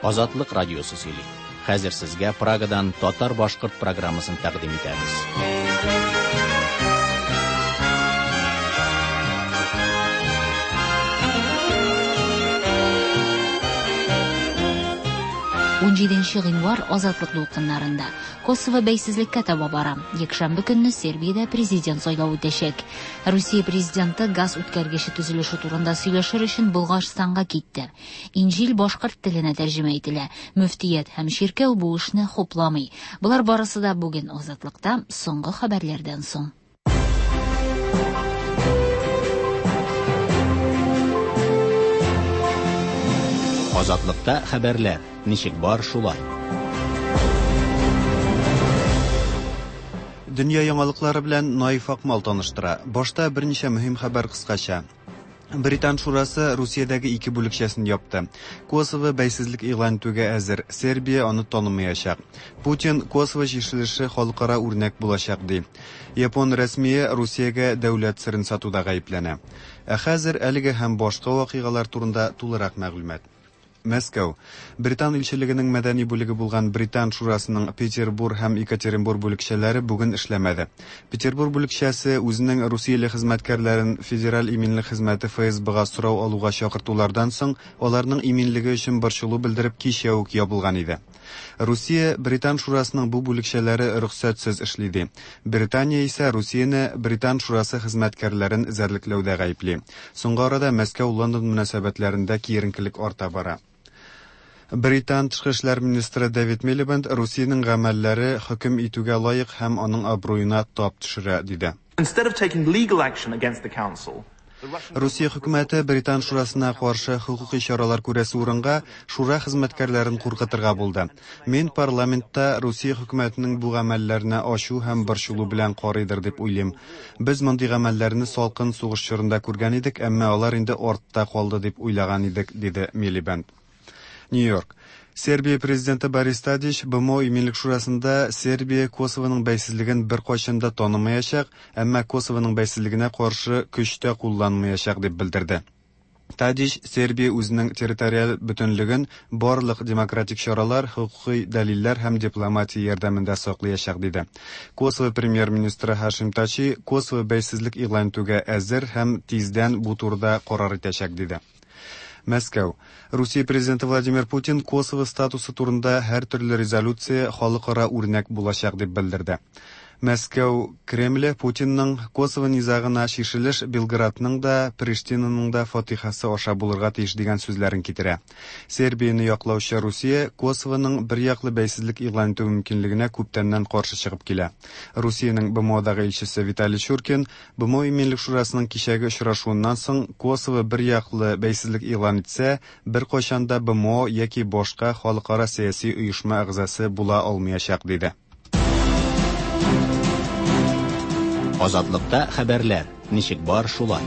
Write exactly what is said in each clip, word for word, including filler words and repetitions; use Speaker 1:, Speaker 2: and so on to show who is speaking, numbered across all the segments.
Speaker 1: Азатлык радиосы сөйли. Хәзер сезгә Прагадан татар-башкорт программасын тәкъдим итәбез.
Speaker 2: Унҗиденче гыйнвар Азатлык дулкыннарында. Косово бәйсезлеккә таба бара. Якшәмбе көнне Сербиядә президент сайлавы үтәчәк. Русия президенты газ үткәргече төзелеше турында сөйләшер өчен Болгарстанга китте. Инҗил башкорт теленә тәрҗемә ителә. Мөфтият һәм чиркәү бу эшне хупламый. Болар барысы да бүген Азатлыкта соңгы хәбәрләрдән соң.
Speaker 1: Азатлыкта хәбәрләр ничек бар шулай.
Speaker 3: Дөнья яңалыклары белән Наиф Акмал таныштыра. Башта берничә мөһим хәбәр кыскача. Британ шурасы Русиядәге ике бүлекчәсен япты. Косово бәйсезлек игълан итүгә әзер. Сербия аны танымаячак. Путин Косово чишелеше халыкара үрнәк булачак ди. Япон рәсмие Русиягә дәүләт серен сатуда гаепләнә. Ә хәзер әлеге һәм башка вакыйгалар турында тулырак мәгълүмат. Мәскәү. Британ илчелегенең мәдәни бүлеге булган Британ шурасының Петербург һәм Екатеринбург бүлекчәләре бүген эшләмәде. Петербург бүлекчәсе үзенең русияле хезмәткәрләрен Федераль иминлек хезмәте эф эс бэ-га сорау алуга чакыртулардан соң аларның иминлеге өчен борчылу белдереп кичә үк ябылган иде. Русия Британ шурасының бу бүлекчәләре рөхсәтсез эшли ди. Британия исә Русияне Британ шурасы хезмәткәрләрен эзәрлекләүдә гаепли. Соңгы арада Мәскәү-Лондон мөнәсәбәтләрендә киеренкелек арта бара. Британ тышкы эшләр министры Дэвид Милибенд Русиянең гамәлләре хөкем итүгә лаек һәм аның абруена тап төшерә, диде.
Speaker 4: Instead of taking legal action against the council,
Speaker 3: Русия хөкүмәте Британ шурасына каршы хокукый чаралар күрәсе урынга шура хезмәткәрләрен куркытырга булды. Мин парламентта Русия хөкүмәтенең бу гамәлләренә ачу һәм борчылу белән карыйдыр дип уйлыйм. Без мондый гамәлләрне салкын сугыш чорында күргән идек, әмма алар инде артта калды дип уйлаган идек, диде Милибенд. Нью-Йорк. Сербия президенты Борис Тадич бэ эм о иминлек шурасында Сербия Косованың бәйсезлеген бер кайчан да танымаячак, әмма Косованың бәйсезлегенә каршы көч тә кулланмаячак дип белдерде. Тадич Сербия үзенең территориаль бөтенлеген барлык демократик чаралар, хокукый дәлилләр һәм дипломатия ярдәмендә саклаячак диде. Косово премьер-министры Хашим Тачи Косово бәйсезлек игълан итүгә әзер һәм тиздән бу турыда карар итәчәк диде. Мәскәү. Русия президенты Владимир Путин Косово статусы турында һәр төрле резолюция халыкара үрнәк булачак дип белдерде. Мәскәү Кремле Путинның Косово низагына чишелеш Белградның да, Приштинаның да фатихасы аша булырга тиеш дигән сүзләрен китерә. Сербияне яклаучы Русия Косованың бер яклы бәйсезлек игълан итү мөмкинлегенә күптәннән каршы чыгып килә. Русиянең бэ эм о-дагы илчесе Виталий Чуркин бэ эм о иминлек шурасының кичәге очрашуыннан соң Косово бер яклы бәйсезлек игълан итсә, бер кайчан да бэ эм о яки башка халыкара сәяси оешма әгъзасы була алмаячак диде.
Speaker 1: Азатлыкта хәбәрләр ничек бар шулай.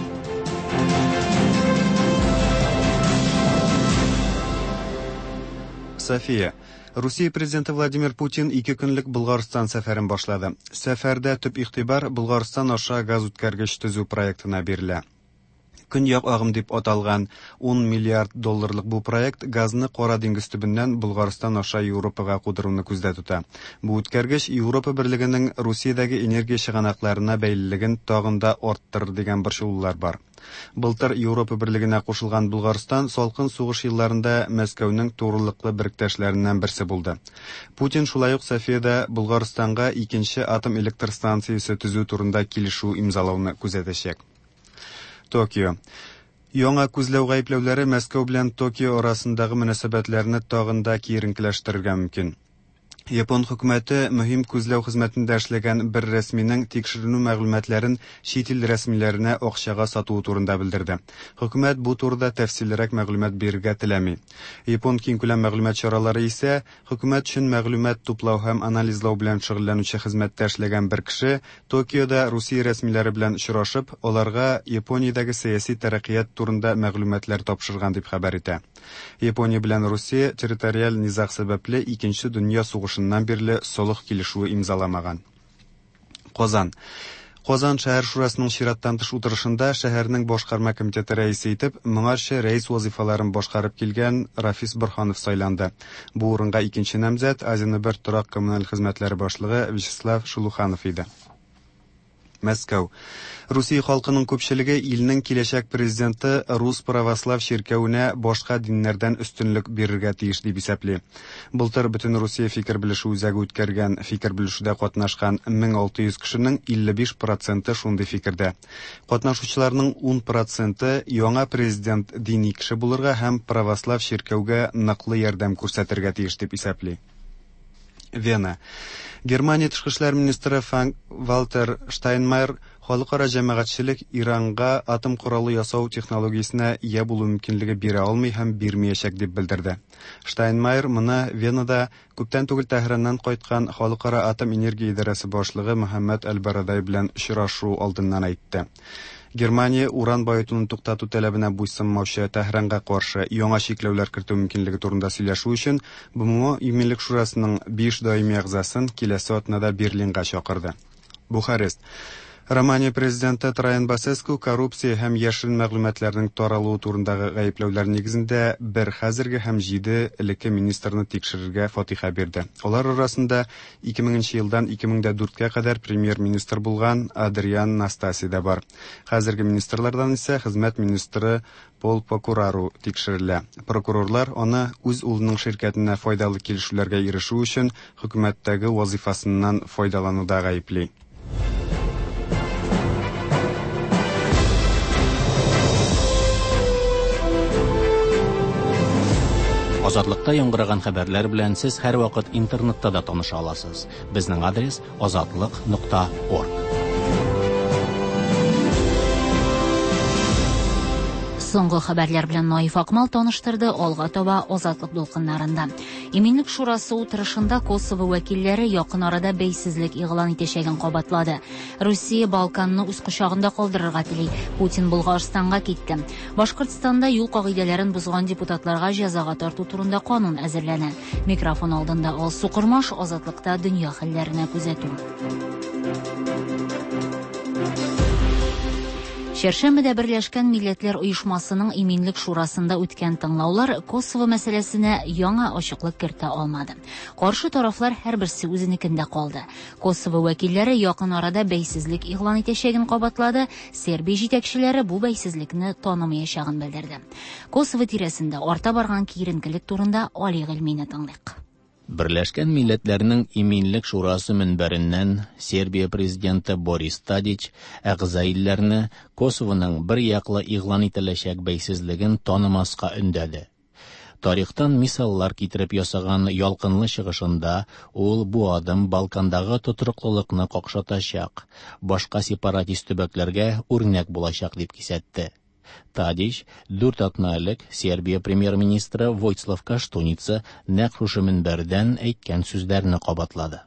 Speaker 3: София. Русия президенты Владимир Путин ике көнлек Болгарстан сәфәрен башлады. Сәфәрдә төп игътибар Болгарстан аша газ үткәргеч төзү проектына бирелә. Көньяк агым дип аталган ун миллиард долларлык бу проект газны Кара диңгез төбеннән Болгарстан аша Европага кудыруны күздә тота. Бу үткәргеч Европа берлегенең Русиядәге энергия чыганакларына бәйлелеген тагын да арттырыр дигән борчылулар бар. Былтыр Европа берлегенә кушылган Болгарстан салкын сугыш елларында Мәскәүнең турылыклы беректәшләреннән берсе булды. Путин шулай ук Софиядә Болгарстанга икенче атом электр станциясе төзү турында килешү имзалауны күзәтәчәк. Токио. Яңа күзләү гаепләүләре Мәскәү белән Токио арасындагы мөнәсәбәтләрне тагын да киеренкеләштерергә мөмкин. Япон хөкүмәте мөһим күзләү хезмәтендә эшләгән бер рәсминең тикшеренү мәгълүматларын чит ил рәсмиләренә акчага сатуы турында белдерде. Хөкүмәт бу турыда тәфсиллерәк мәгълүмат бирергә теләми. Япон киңкүләм мәгълүмат чаралары исә хөкүмәт өчен мәгълүмат туплау һәм анализлау белән шөгыльләнүче хезмәттә эшләгән бер кеше Токиода Русия рәсмиләре белән очрашып, аларга Япониядәге сәяси тәрәккыят турында мәгълүматлар тапшырган дип хәбәр итә. Япония белән Русия территориаль низаг сәбәпле икенче дөнья сугышыннан бирле солых килешүе имзаламаган. Казан. Казан шәһәр шурасының чираттан тыш утырышында шәһәрнең башкарма комитеты рәисе итеп моңарчы рәис вазифаларын башкарып килгән Рафис Борһанов сайланды. Бу урынга икенче намзәт Азия бер торак коммуналь хезмәтләре башлыгы Вячеслав Шулуханов иде. Мәскәү. Русия халкының күпчелеге илнең киләчәк президенты Рус православ чиркәвенә башка диннәрдән өстенлек бирергә тиеш дип исәпли. Былтыр бөтен Русия фикер белешү үзәге үткәргән фикер белешүдә катнашкан мең алты йөз кешенең илле биш проценты шундый фикердә. Катнашучыларның ун проценты яңа президент дини кеше булырга һәм православ чиркәүгә ныклы ярдәм күрсәтергә тиеш дип исәпли. Вена. Германия тышкы эшләр министры Франк Вальтер Штайнмайер халыкара җәмәгатьчелек Иранга атом коралы ясау технологиясенә ия булу мөмкинлеге бирә алмый һәм бирмәячәк дип белдерде. Штайнмайер моны Венада күптән түгел Тәһраннан кайткан Халыкара атом энергия идарәсе башлыгы Мөхәммәд Әл-Барадай белән очрашу алдыннан әйтте. Германия уран баетуны туктату таләбенә буйсынмаучы Тәһранга каршы яңа чикләүләр кертү мөмкинлеге турында сөйләшү өчен Б М О Иминлек шурасының биш даими әгъзасын киләсе атнада Берлинга чакырды. Бухарест. Романия президенты Траян Басеску коррупция һәм яшерен мәгълүматларның таралуы турындагы гаепләүләр нигезендә бер хәзерге һәм җиде элекке министрны тикшерергә фатиха бирде. Алар арасында ике меңенче елдан ике мең дә дүрткә кадәр премьер-министр булган Адриан Настаси да бар. Хәзерге министрлардан исә хезмәт министры Пол Покурару тикшерелә. Прокурорлар аны үз улының ширкәтенә файдалы килешүләргә ирешү өчен хөкүмәттәге вазифасыннан файдалануда гаепли.
Speaker 1: Азатлыкта яңгыраган хәбәрләр белән сез һәрвакыт интернетта да таныша аласыз. Безнең адрес азатлык нокта орг.
Speaker 2: Соңгы хәбәрләр белән Наиф Акмал таныштырды. Алга таба Азатлык дулкыннарында. Иминлек шурасы утырышында Косово вәкилләре якын арада бәйсезлек игълан итәчәген кабатлады. Русия Балканны үз кочагында калдырырга тели. Путин Болгарстанга китте. Башкортстанда юл кагыйдәләрен бозган депутатларга җәзага тарту турында канун әзерләнә. Микрофон алдында Алсу Кормаш, Азатлыкта дөнья хәлләренә күзәтү. Чәршәмбедә Берләшкән Милләтләр Оешмасының Иминлек Шурасында үткән тыңлаулар Косово мәсьәләсенә яңа ачыклык кертә алмады. Каршы тарафлар һәрберсе үзенекендә калды. Косово вәкилләре якын арада бәйсезлек игълан итәчәген кабатлады, Сербия җитәкчеләре бу бәйсезлекне танымаячагын белдерде. Косово тирәсендә арта барган киеренкелек турында Али Гыйльмине тыңлыйк.
Speaker 1: Берләшкән Милләтләрнең Иминлек Шурасы мөнбәреннән Сербия президенты Борис Тадич әгъза илләрне Косовоның бер яклы игълан ителәчәк бәйсезлеген танымаска өндәде. Тарихтан мисаллар китереп ясаган ялкынлы чыгышында ул бу адым Балкандагы тотрыклылыкны какшатачак, башка сепаратист төбәкләргә үрнәк булачак дип кисәтте. Тадич дүрт атна элек Сербия премьер-министры Войцлав Каштуница нәкъ шушы мөнбәрдән әйткән сүзләрне кабатлады.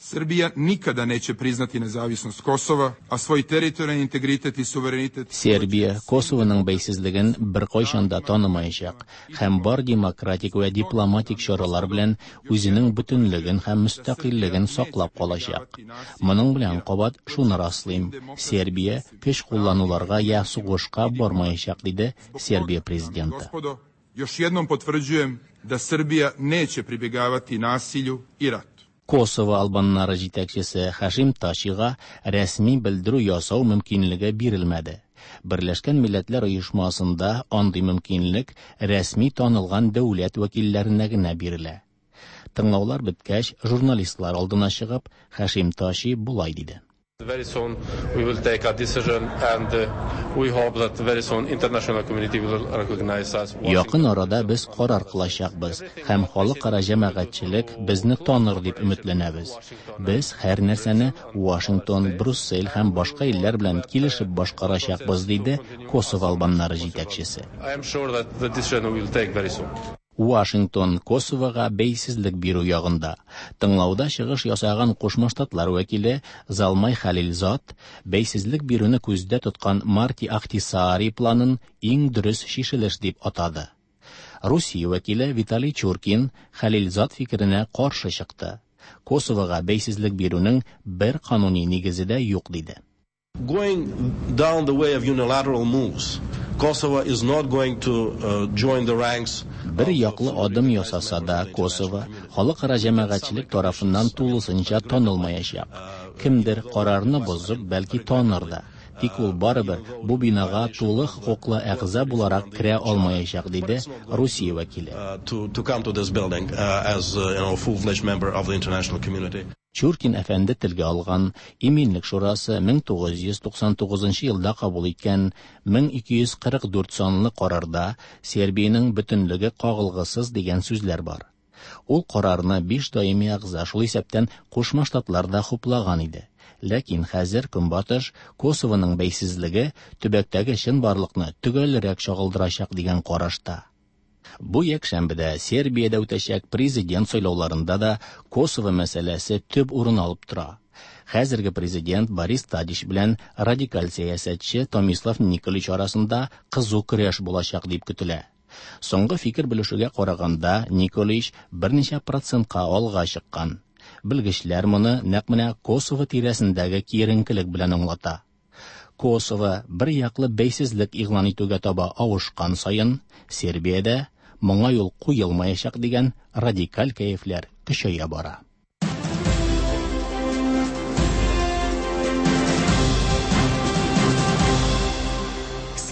Speaker 5: Srbija nikada neće priznati nezavisnost Kosova, a svoj teritorijalni integritet i suverenitet...
Speaker 1: Сербия Косовоның бәйсезлеген беркайчан да танымаячак һәм бар демократик вә дипломатик чаралар белән үзенең бөтенлеген һәм мөстәкыйльлеген саклап калачак. Моның белән кабат шуны раслыйм: Сербия көч куллануларга я сугышка бармаячак, диде Сербия президенты.
Speaker 5: Gospodo, još jednom potvrđujem da Srbija neće pribjegavati nasilju i ratu.
Speaker 1: Косово албаннары җитәкчесе Хашим Ташига рәсми белдерү ясау мөмкинлеге бирелмәде. Берләшкән Милләтләр Оешмасында андый мөмкинлек рәсми танылган дәүләт вәкилләренә генә бирелә. Тыңлаулар беткәч, журналистлар алдына чыгып, Хашим Таши болай диде.
Speaker 6: Very soon we will take a decision and we hope that very soon international community will recognize us.
Speaker 1: Якын арада без карар кылачакбыз һәм халыкара җәмәгатьчелек безне таныр дип өметләнәбез. Без һәр нәрсәне Вашингтон, Брюссель һәм башка илләр белән килешеп башкарачакбыз, диде Косово албаннары җитәкчесе.
Speaker 6: I am sure that the decision we will take very soon.
Speaker 1: Вашингтон Косовога бәйсезлек бирү ягында. Тыңлауда чыгыш ясаган Кушма Штатлар вәкиле Залмай Халилзад бәйсезлек бирүне күздә тоткан Марти Ахтисаари планын иң дөрес чишелеш дип атады. Русия вәкиле Виталий Чуркин Халилзад фикеренә каршы чыкты. Косовога бәйсезлек бирүнең бер кануни нигезе дә юк диде.
Speaker 6: Going down the way of unilateral moves, Kosovo is not going to uh, join the ranks.
Speaker 1: Бер яклы адым ясаса да, Косово халыкара җәмәгатьчелек тарафыннан тулысынча танылмаячак. Кемдер карарны бозып, бәлки таныр да. Тик ул барыбер бу бинага тулы хокуклы әгъза буларак керә алмаячак, диде Русия вәкиле.
Speaker 6: To, to come to this building uh, as uh, you know, full-fledged member of the international community.
Speaker 1: Чуркин әфәнде телгә алган Иминлек шурасы мең тугыз йөз туксан тугызынчы елда кабул иткән мең ике йөз кырык дүрт санлы карарда Сербиянең бөтенлеге кагылгысыз дигән сүзләр бар. Ул карарны биш даими әгъза, шул исәптән Кушма Штатлар да хуплаган иде. Ләкин хәзер Көнбатыш Косовоның бәйсезлеге төбәктәге чынбарлыкны төгәлрәк чагылдырачак дигән карашта. Бу якшәмбедә Сербиядә үтәчәк президент сайлауларында да Косово мәсьәләсе төп урын алып тора. Хәзерге президент Борис Тадич белән радикаль сәясәтче Томислав Николич арасында кызу көрәш булачак дип көтелә. Соңгы фикер белешүгә караганда, Николич берничә процентка алга чыккан. Белгечләр моны нәкъ менә Косово тирәсендәге киеренкелек белән аңлата. Косово бер яклы бәйсезлек игълан итүгә таба авышкан саен, Сербиядә моңа юл куелмаячак дигән радикаль кәефләр көчәя бара.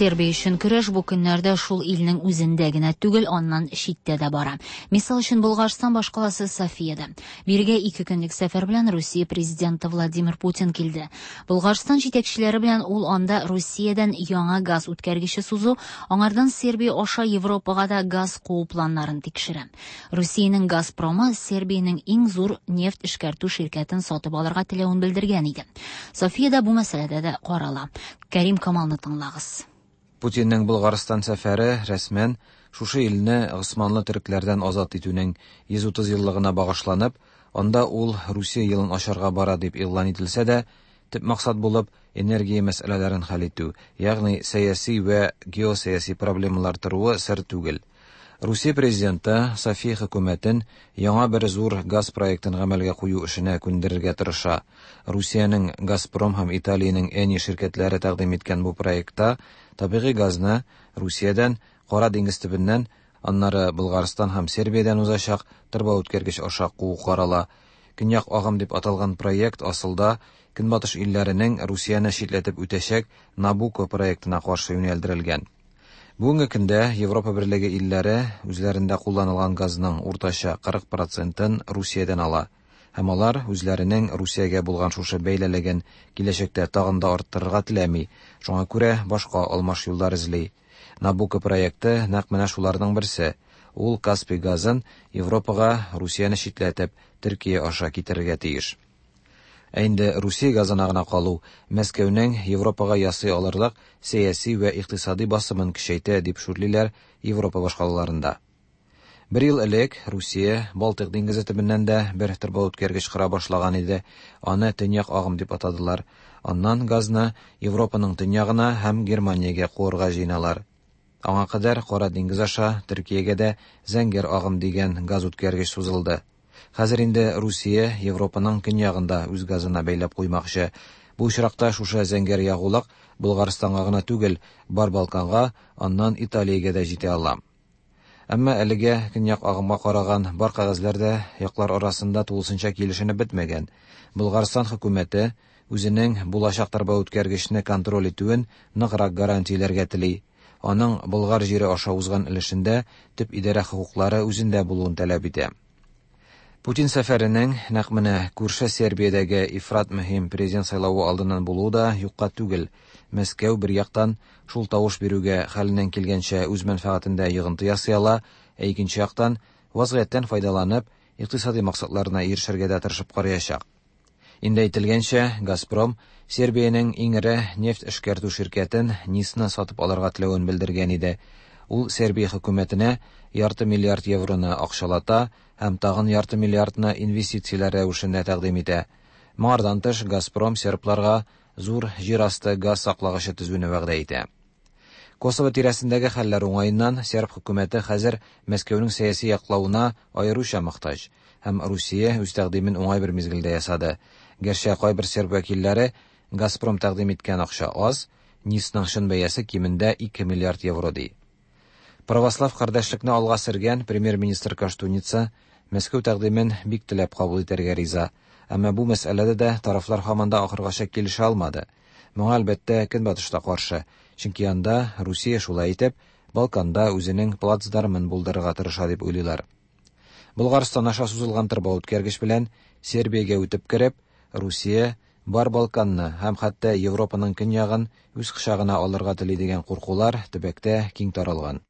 Speaker 2: Сербия өчен көрәш бу көннәрдә шул илнең үзендә генә түгел, аннан читтә дә бара. Мисал өчен, Болгарстан башкаласы Софиядә. Бирегә ике көнлек сәфәр белән Русия президенты Владимир Путин килде. Болгарстан җитәкчеләре белән ул анда Русиядән яңа газ үткәргече сузу, аңардан Сербия аша Европага да газ куу планнарын тикшерә. Русиянең Газпромы Сербиянең иң зур нефть эшкәртү ширкәтен сатып алырга теләвен белдергән иде. Софиядә бу мәсьәләдә дә карала. Кәрим Камалны тыңлагыз.
Speaker 7: Путинның Болгарстан сәфәре рәсмән шушы илне Госманлы төрекләрдән азат итүнең йөз утыз еллыгына багышланып, анда ул Русия елын ачарга бара дип игълан ителсә дә, төп максат булып энергия мәсьәләләрен хәл итү, ягъни сәяси вә геосәяси проблемалар торуы сер түгел. Русия президенты София хөкүмәтен яңа бер зур газ проектын гамәлгә кую эшенә күндерергә тырыша. Русиянең Газпром һәм Италиянең Eni ширкәтләре тәкъдим иткән бу проектта табигый газны Русиядән, Кара диңгез төбеннән, аннары Болгарстан һәм Сербиядән узачак торба үткәргеч аша куу карала. Көньяк агым дип аталган проект асылда Көнбатыш илләренең Русияне читләтеп үтәчәк Набуко проектына каршы юнәлдерелгән. Бүгенге көндә Европа Берлеге илләре үзләрендә кулланылган газның уртача кырык процентын Русиядән ала. Һәм алар үзләренең Русиягә булган шушы бәйлелеген киләчәктә тагын да арттырырга теләми, шуңа күрә башка алмаш юллар эзли. Набуко проекты нәкъ менә шуларның берсе. Ул Каспий газын Европага Русияне читләтеп, Төркия аша китерергә тиеш. Ә инде Русия газына гына калу Мәскәүнең Европага ясый алырлык сәяси вә икътисади басымын көчәйтә дип шүрлиләр Европа башкалаларында. Бер ел элек Русия Балтык диңгезе төбеннән дә бер торба үткәргеч кора башлаган иде. Аны Төньяк агым дип атадылар. Аннан газны Европаның төньягына һәм Германиягә куырга җыеналар. Аңа кадәр Кара диңгез аша Төркиягә дә Зәңгәр агым дигән газ үткәргеч сузылды. Хәзер инде Русия Европаның көньягында үз газына бәйләп куймакчы. Бу очракта шушы зәңгәр ягулык Болгарстанга гына түгел, бар Балканга, аннан Италиягә дә җитә ала. Әмма әлегә көньяк агымга караган бар кәгазьләр дә яклар арасында тулысынча килешенеп бетмәгән. Болгарстан хөкүмәте үзенең булачак торба үткәргечне контроль итүен ныграк гарантияләргә тели. Аның Болгар җире аша узган өлешендә төп идарә хокуклары үзендә булуын таләп итә. Путин сәфәренең нәкъ менә күрше Сербиядәге ифрат мөһим президент сайлавы алдыннан булуы да юкка түгел. Мәскәү бер яктан шул тавыш бирүгә хәленнән килгәнчә үз мәнфәгатендә йогынты ясый ала, ә икенче яктан вазгыятьтән файдаланып, икътисади максатларына ирешергә дә тырышып караячак. Инде әйтелгәнчә, Газпром Сербиянең иң эре нефть эшкәртү ширкәтен Нисны сатып алырга теләвен белдергән иде. Ул Сербия хөкүмәтенә ярты миллиард евроны акчалата һәм тагын ярты миллиардны инвестицияләр рәвешендә тәкъдим итә. Моңардан тыш, Газпром сербларга зур җир асты газ саклагычы төзүне вәгъдә итә. Косово тирәсендәге хәлләр уңаеннан серб хөкүмәте хәзер Мәскәүнең сәяси яклавына аеруча мохтаҗ һәм Русия үз тәкъдимен уңай бер мизгелдә ясады. Гәрчә кайбер серб вәкилләре Газпром тәкъдим иткән акча аз, НИСның чын бәясе кимендә ике миллиард евро ди. Православ кардәшлекне алга сөргән премьер-министр Коштуница Мәскәү тәкъдимен бик теләп кабул итәргә риза. Әмма бу мәсьәләдә дә тарафлар һаман да ахыргача килешә алмады. Моңа әлбәттә Көнбатыш та каршы, чөнки анда Русия шулай итеп Балканда үзенең плацдармын булдырырга тырыша дип уйлыйлар. Болгарстан аша сузылган торба үткәргеч белән Сербиягә үтеп кереп, Русия бар Балканны һәм хәтта Европаның көньягын үз кочагына алырга тели дигән куркулар төбәктә киң таралган.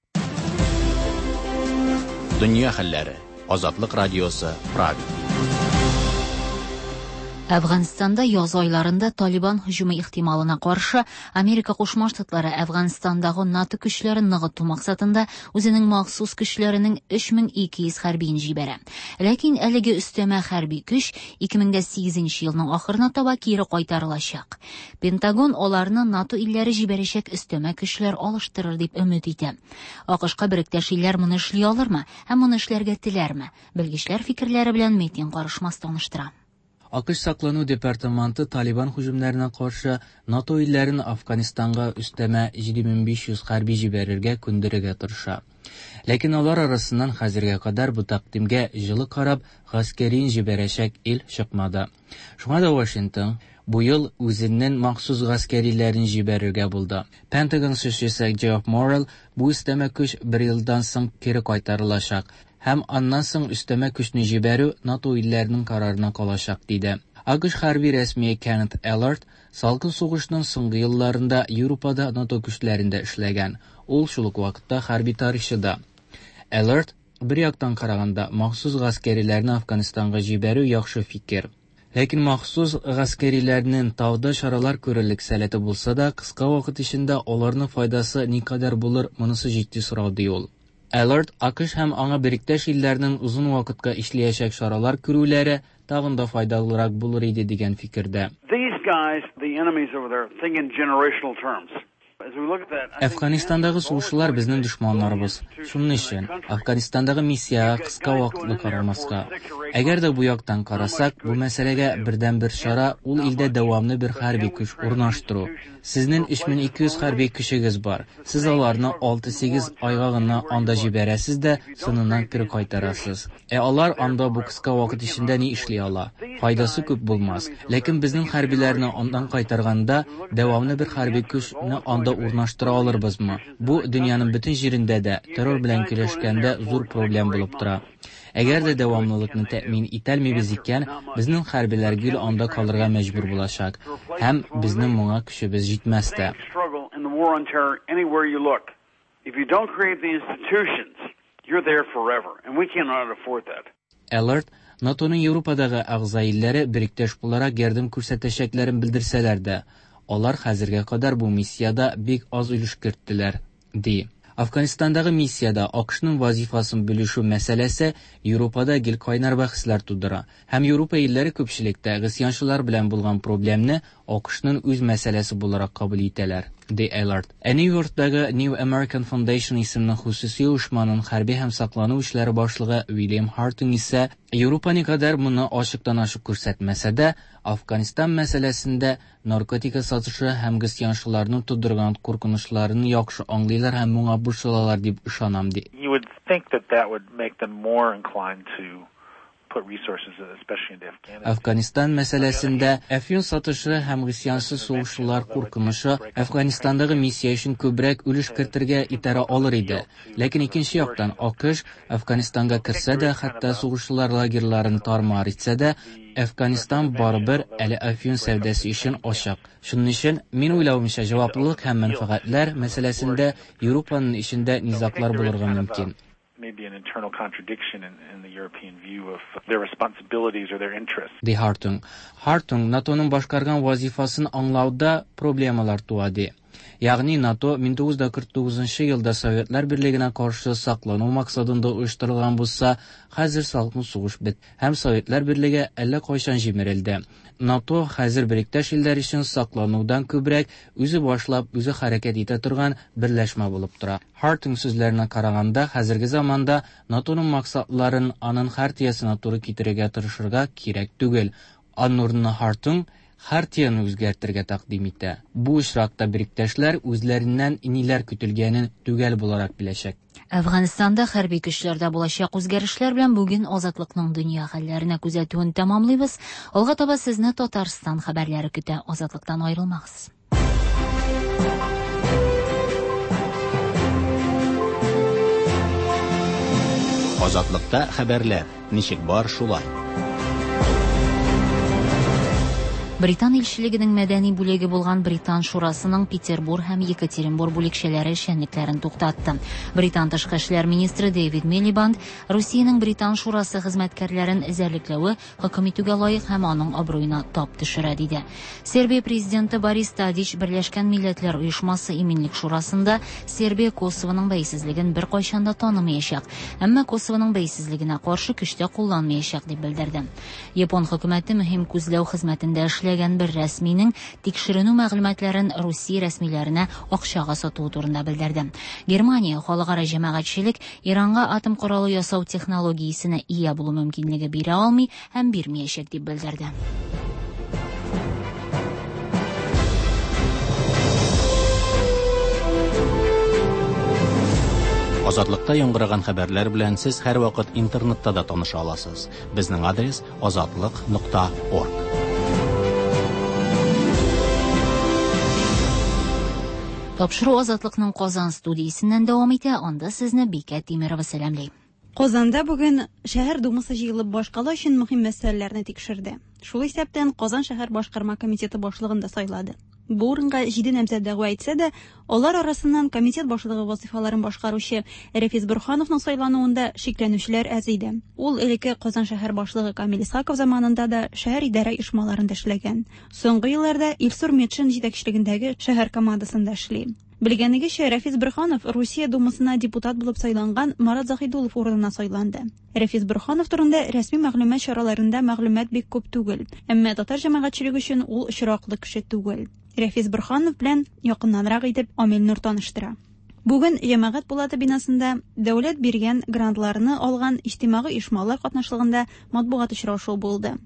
Speaker 1: Дөнья хәлләре. Азатлык радиосы, Прага.
Speaker 2: Әфганстанда яз айларында Талибан һөҗүме ихтималына каршы Америка Кушма Штатлары Әфганстандагы НАТО көчләрен ныгыту максатында үзенең махсус көчләренең өч мең ике йөз хәрбиен җибәрә. Ләкин әлеге өстәмә хәрби көч ике мең дә сигезенче елның ахырына таба кире кайтарылачак. Пентагон аларны НАТО илләре җибәрәчәк өстәмә көчләр алыштырыр дип өмет итә. АКШка беректәш илләр моны эшли алырмы һәм моны эшләргә теләрме? Белгечләр фикерләре белән Метин Карышмас таныштыра.
Speaker 8: АКШ саклану департаменты Талибан һөҗүмнәренә каршы НАТО илләрен Афганистанга өстәмә җиде мең биш йөз хәрби җибәрергә күндерергә тырыша. Ләкин алар арасыннан хәзергә кадәр бу тәкъдимгә җылы карап, гаскәрин җибәрәчәк ил чыкмады. Шуңа да Вашингтон бу ел үзенең махсус гаскәриләрен җибәрергә булды. Пентагон сүзчесе Джефф Моррелл бу өстәмә көч бер елдан соң кире кайтарылачак һәм аннан соң өстәмә көчне җибәрү НАТО илләренең карарына калачак, диде. АКШ хәрби рәсмие Кеннет Эллард салкын сугышның соңгы елларында Европада НАТО көчләрендә эшләгән. Ул шул ук вакытта хәрби тарихчы да. Эллард бер яктан караганда махсус гаскәриләрне Афганистанга җибәрү яхшы фикер. Ләкин махсус гаскәриләрнең тауда чаралар күрерлек сәләте булса да, кыска вакыт эчендә аларның файдасы никадәр булыр, монысы җитди сорау, ди ул. Эллард АКШ һәм аңа беректәш илләрнең озын вакытка эшләячәк чаралар күрүләре тагын да файдалырак булыр иде дигән фикердә.
Speaker 9: These guys, the enemies over there, think in generational terms.
Speaker 8: Әфганистандагы сугышчылар безнең дошманнарыбыз. Шуның өчен Афганистандагы миссиягә кыска вакытлы карамаска. Әгәр дә бу яктан карасак, бу мәсьәләгә бердән-бер чара ул илдә дәвамлы бер хәрби көч урнаштыру. Сезнең өч мең ике йөз хәрби көчегез бар. Сез аларны алты-сигез айга гына анда җибәрәсез дә, соңыннан кире кайтарасыз. Ә алар анда бу кыска вакыт эчендә ни эшли ала? Файдасы күп булмас. Ләкин безнең хәрбиләрне андан кайтарганда дәвамлы бер хәрби көчне анда урнаштыра алырбызмы? Бу дөньяның бөтен җирендә дә террор белән көрәшкәндә зур проблем булып тора. Әгәр дә дәвамлылыкны тәэмин итәлмибез икән, безнең хәрбиләр гел анда калырга мәҗбүр булачак һәм безнең моңа көчебез җитмәс тә. Alert NATOның Европадагы әгъза илләре беректәш буларак ярдәм күрсәтәчәкләрен белдерсәләр дә, алар хәзергә кадәр бу миссиядә бик аз өлеш керттеләр, ди. Афганистандагы миссиядә АКШның вазифасын бүлешү мәсьәләсе Европада гел кайнар бәхәсләр тудыра. Һәм Европа илләре күпчелектә гысьянчылар белән булган проблемны АКШның үз мәсьәләсе буларак кабул итәләр, ди Эллард. Ә Нью-Йорктагы New American Foundation исемле хосуси оешманың хәрби һәм саклану эшләре башлыгы Уильям Хартунг исә Европа никадәр моны ачыктан-ачык күрсәтмәсә дә, Афганистан мәсьәләсендә наркотика сатышы һәм гысьянчыларның тудырган куркынычларын яхшы аңлыйлар һәм моңа борчылалар дип ышанам, ди.
Speaker 10: You would think that that would make them more inclined to put resources, especially into Afghanistan.
Speaker 8: Афганистан мәсьәләсендә әфьюн сатышы һәм гысьянчы сугышчылар куркынышы Афганистандагы миссия өчен күбрәк өлеш кертергә итәрә алыр иде. Ләкин икенче яктан АКШ Афганистанга керсә дә, хәтта сугышчылар лагерьларын тармар итсә дә, Афганистан барыбер әле әфьюн сәүдәсе өчен ачык. Шуның өчен мин уйлавымча, җаваплылык һәм мәнфәгатьләр мәсьәләсендә Европаның эчендә низаглар булырга мөмкин.
Speaker 10: Maybe an internal contradiction in, in the European view of their responsibilities or their interests.
Speaker 8: Ди Хартунг. Хартунг NATOның башкарган вазифасын аңлауда проблемалар туа, ди. Ягъни НАТО мең тугыз йөз кырык тугызынчы елда Советлар Берлегенә каршы саклану максатында оештырылган булса, хәзер салкын сугыш бит һәм Советлар Берлеге әллә кайчан җимерелде. НАТО хәзер беректәш илләр өчен сакланудан күбрәк үзе башлап, үзе хәрәкәт итә торган берләшмә булып тора. Хартунг сүзләренә караганда, хәзерге заманда NATOның максатларын аның хартиясенә туры китерергә тырышырга кирәк түгел. Аның урынына Хартунг Хартияне үзгәртергә тәкъдим итә. Бу очракта беректәшләр үзләреннән ниләр көтелгәнен төгәл буларак беләчәк.
Speaker 2: Әфганстанда хәрби көчләрдә булачак үзгәрешләр белән бүген Азатлыкның дөнья хәлләренә күзәтүен тәмамлыйбыз. Алга таба сезне Татарстан хәбәрләре көтә. Азатлыктан аерылмагыз.
Speaker 1: Азатлыкта хәбәрләр ничек бар шулай.
Speaker 2: Британ илчелегенең мәдәни бүлеге булган Британ шурасының Петербург һәм Екатеринбург бүлекчәләре эшчәнлекләрен туктатты. Британ тышкы эшләр министры Дэвид Милибанд Русиянең Британ шурасы хезмәткәрләрен эзәрлекләве хөкем итүгә лаек һәм аның абруена тап төшерә диде. Сербия президенты Борис Тадич Берләшкән Милләтләр Оешмасы Иминлек Шурасында Сербия Косовоның бәйсезлеген беркайчан да танымаячак, әмма Косовоның бәйсезлегенә каршы көч тә кулланмаячак дип белдерде. Япон хөкүмәте мөһим күзләү хезмәтендә эшләгән бер рәсминең тикшеренү мәгълүматларын Русия рәсмиләренә акчага сатуы турында белдерде. Германия халыкара җәмәгатьчелек Иранга атом коралы ясау технологиясенә ия булу мөмкинлеге бирә алмый һәм бирмәячәк дип белдерде.
Speaker 1: Азатлыкта яңгыраган хәбәрләр белән сез һәрвакыт интернетта да таныша аласыз. Безнең адрес азатлык нокта орг.
Speaker 2: Тапшыру Азатлыкның Казан студиясеннән дәвам итә. Анда сезне Бикә Тимирова сәламли.
Speaker 11: Казанда бүген шәһәр думасы җыелып башкала өчен мөһим мәсьәләләрне тикшерде. Шул исәптән Казан шәһәр башкарма комитеты башлыгын да сайлады. Бу урынга җиде намзәт дәгъва итсә дә, алар арасыннан комитет башлыгы вазифаларын башкаручы Рәфис Борһановның сайлануында шикләнүчеләр әз иде. Ул элекке Казан шәһәр башлыгы Камил Исхаков заманында да шәһәр идарә оешмаларында эшләгән. Соңгы елларда Илсур Метшин җитәкчелегендәге шәһәр командасында эшли. Белгәнегезчә, Рәфис Борһанов Русия думасына депутат булып сайланган Марат Заһидуллов урынына сайланды. Рәфис Борһанов турында рәсми мәгълүмат чараларында мәгълүмат бик күп түгел, әмма татар җәмәгатьчелеге өчен ул очраклы кеше түгел. Рәфис Борһанов белән якыннанрак итеп Амил Нур таныштыра. Бүген Җәмәгать палаты бинасында дәүләт биргән грантларны алган иҗтимагый оешмалар катнашлыгында матбугат очрашуы булды.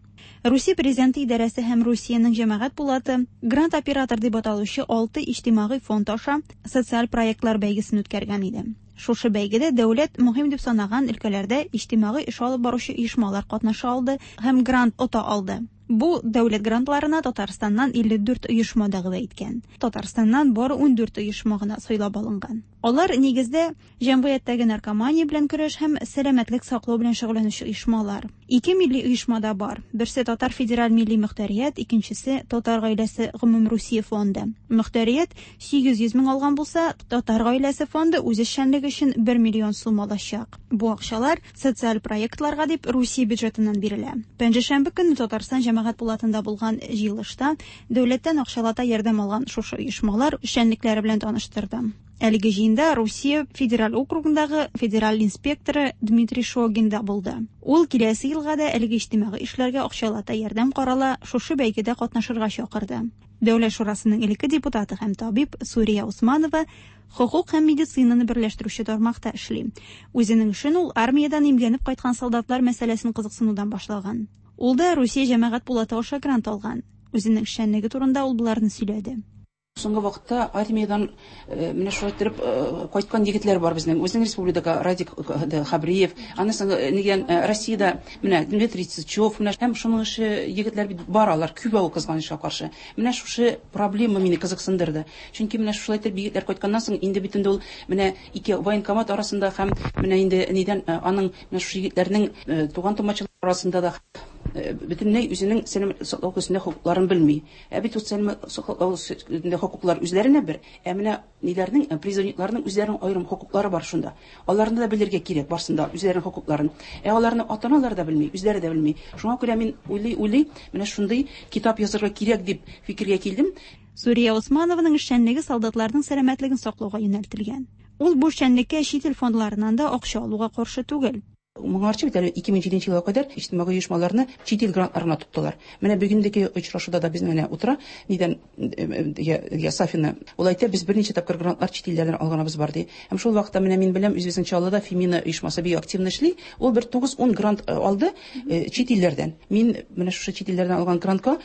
Speaker 11: Русия президенты идарәсе һәм Русиянең җәмәгать палаты грант оператор дип аталучы алты иҗтимагый фонд аша социаль проектлар бәйгесен үткәргән иде. Шушы бәйгедә дәүләт мөһим дип санаган өлкәләрдә иҗтимагый эш алып баручы оешмалар катнаша алды һәм грант ота алды. Бу дәүләт грантларына Татарстаннан илле дүрт оешма дәгъва иткән. Татарстаннан бары ун дүрт оешма гына сайлап алынган. Алар нигездә җәмгыятьтәге наркомания белән көрәш һәм сәламәтлек саклау белән шөгыльләнүче оешмалар. Ике милли оешма да бар. Берсе Татар федераль милли мөхтәрият, икенчесе Татар гаиләсе гомумрусия фонды. Мөхтәрият сигез йөз мең алган булса, Татар гаиләсе фонды үз эшчәнлеге өчен бер миллион сум алачак. Бу акчалар социаль проектларга дип Русия бюджетыннан бирелә. Пәнҗешәмбе көнне Татарстан җәмәгать палатында булган җыелышта дәүләттән акчалата ярдәм алган шушы оешмалар эшчәнлекләре белән таныштырды. Әлеге җыенда Русия федераль округындагы федераль инспекторы Дмитрий Шогин да булды. Ул киләсе елга да әлеге иҗтимагый эшләргә акчалата ярдәм карала, шушы бәйгедә катнашырга чакырды. Дәүләт шурасының элекке депутаты һәм табиб Сурия Усманова хокук һәм медицинаны берләштерүче тармакта эшли. Үзенең эшен ул армиядән имгәнеп кайткан солдатлар мәсьәләсен кызыксынудан башлаган. Ул да Русия җәмәгать палаты аша грант алган. Үзенең эшчәнлеге турында ул боларны сөйләде.
Speaker 12: Соңгы вакытта армиядан менә шулай итеп кайткан егетләр бар безнең. Үзенең республикада Радик Хабриев, анысы нигән Россиядә менә Дмитрий Сычев, менә һәм шуның ише егетләр бит бар, алар күп ул кызганычка каршы. Менә шушы проблема мине кызыксындырды. Чөнки менә шулай итеп егетләр кайтканнан соң инде бит инде ул менә ике военкомат арасында һәм менә инде нидән аның менә шушы егетләрнең туган тумачалары арасында да бөтенләй үзенең сәламәтлек саклау өлкәсендә хокукларын белми. Ә бит ул сәламәтлек саклау өлкәсендә хокуклар үзләренә бер, ә менә ниләрнең, призывникларның үзләренең аерым хокуклары бар шунда. Аларны да белергә кирәк барсында үзләренең хокукларын. Ә аларны ата-аналар да белми, үзләре дә белми. Шуңа күрә мин уйлый-уйлый менә шундый китап язарга кирәк дип фикергә килдем.
Speaker 11: Сурия Усманованың эшчәнлеге солдатларның сәламәтлеген саклауга юнәлтелгән. Ул бу эшчәнлеккә чит ил фондларыннан да акча алуга каршы түгел.
Speaker 12: Моңарчы бит әле ике мең җиденче елга кадәр иҗтимагый оешмаларны чит ил грантларына тоттылар. Менә бүгендәге очрашуда да безнең менә утыра, нидән я Сафина. Ул әйтә, без берничә тапкыр грантлар чит илләрдән алганыбыз бар ди. Һәм шул вакытта менә мин беләм, үзебезнең Чаллыда Фемина оешмасы бик активно эшли. Ул бер тугыз-ун грант алды чит илләрдән. Мин менә шушы чит илләрдән алган грантка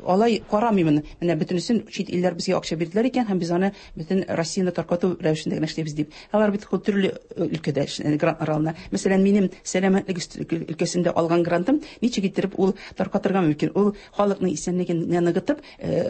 Speaker 12: алай карамыймын. Менә бөтенесен чит илләр безгә акча бирделәр икән, һәм без аны бөтен Россияне таркату рәвешендә генә эшлибез дип. Алар бит төрле өлкәдә грантлар алына. Мәсәлән, минем сәламәтлек өлкәсендә алган грантым ничек иттереп ул таркатырга мөмкин? Ул халыкның исәнлеген ныгытып,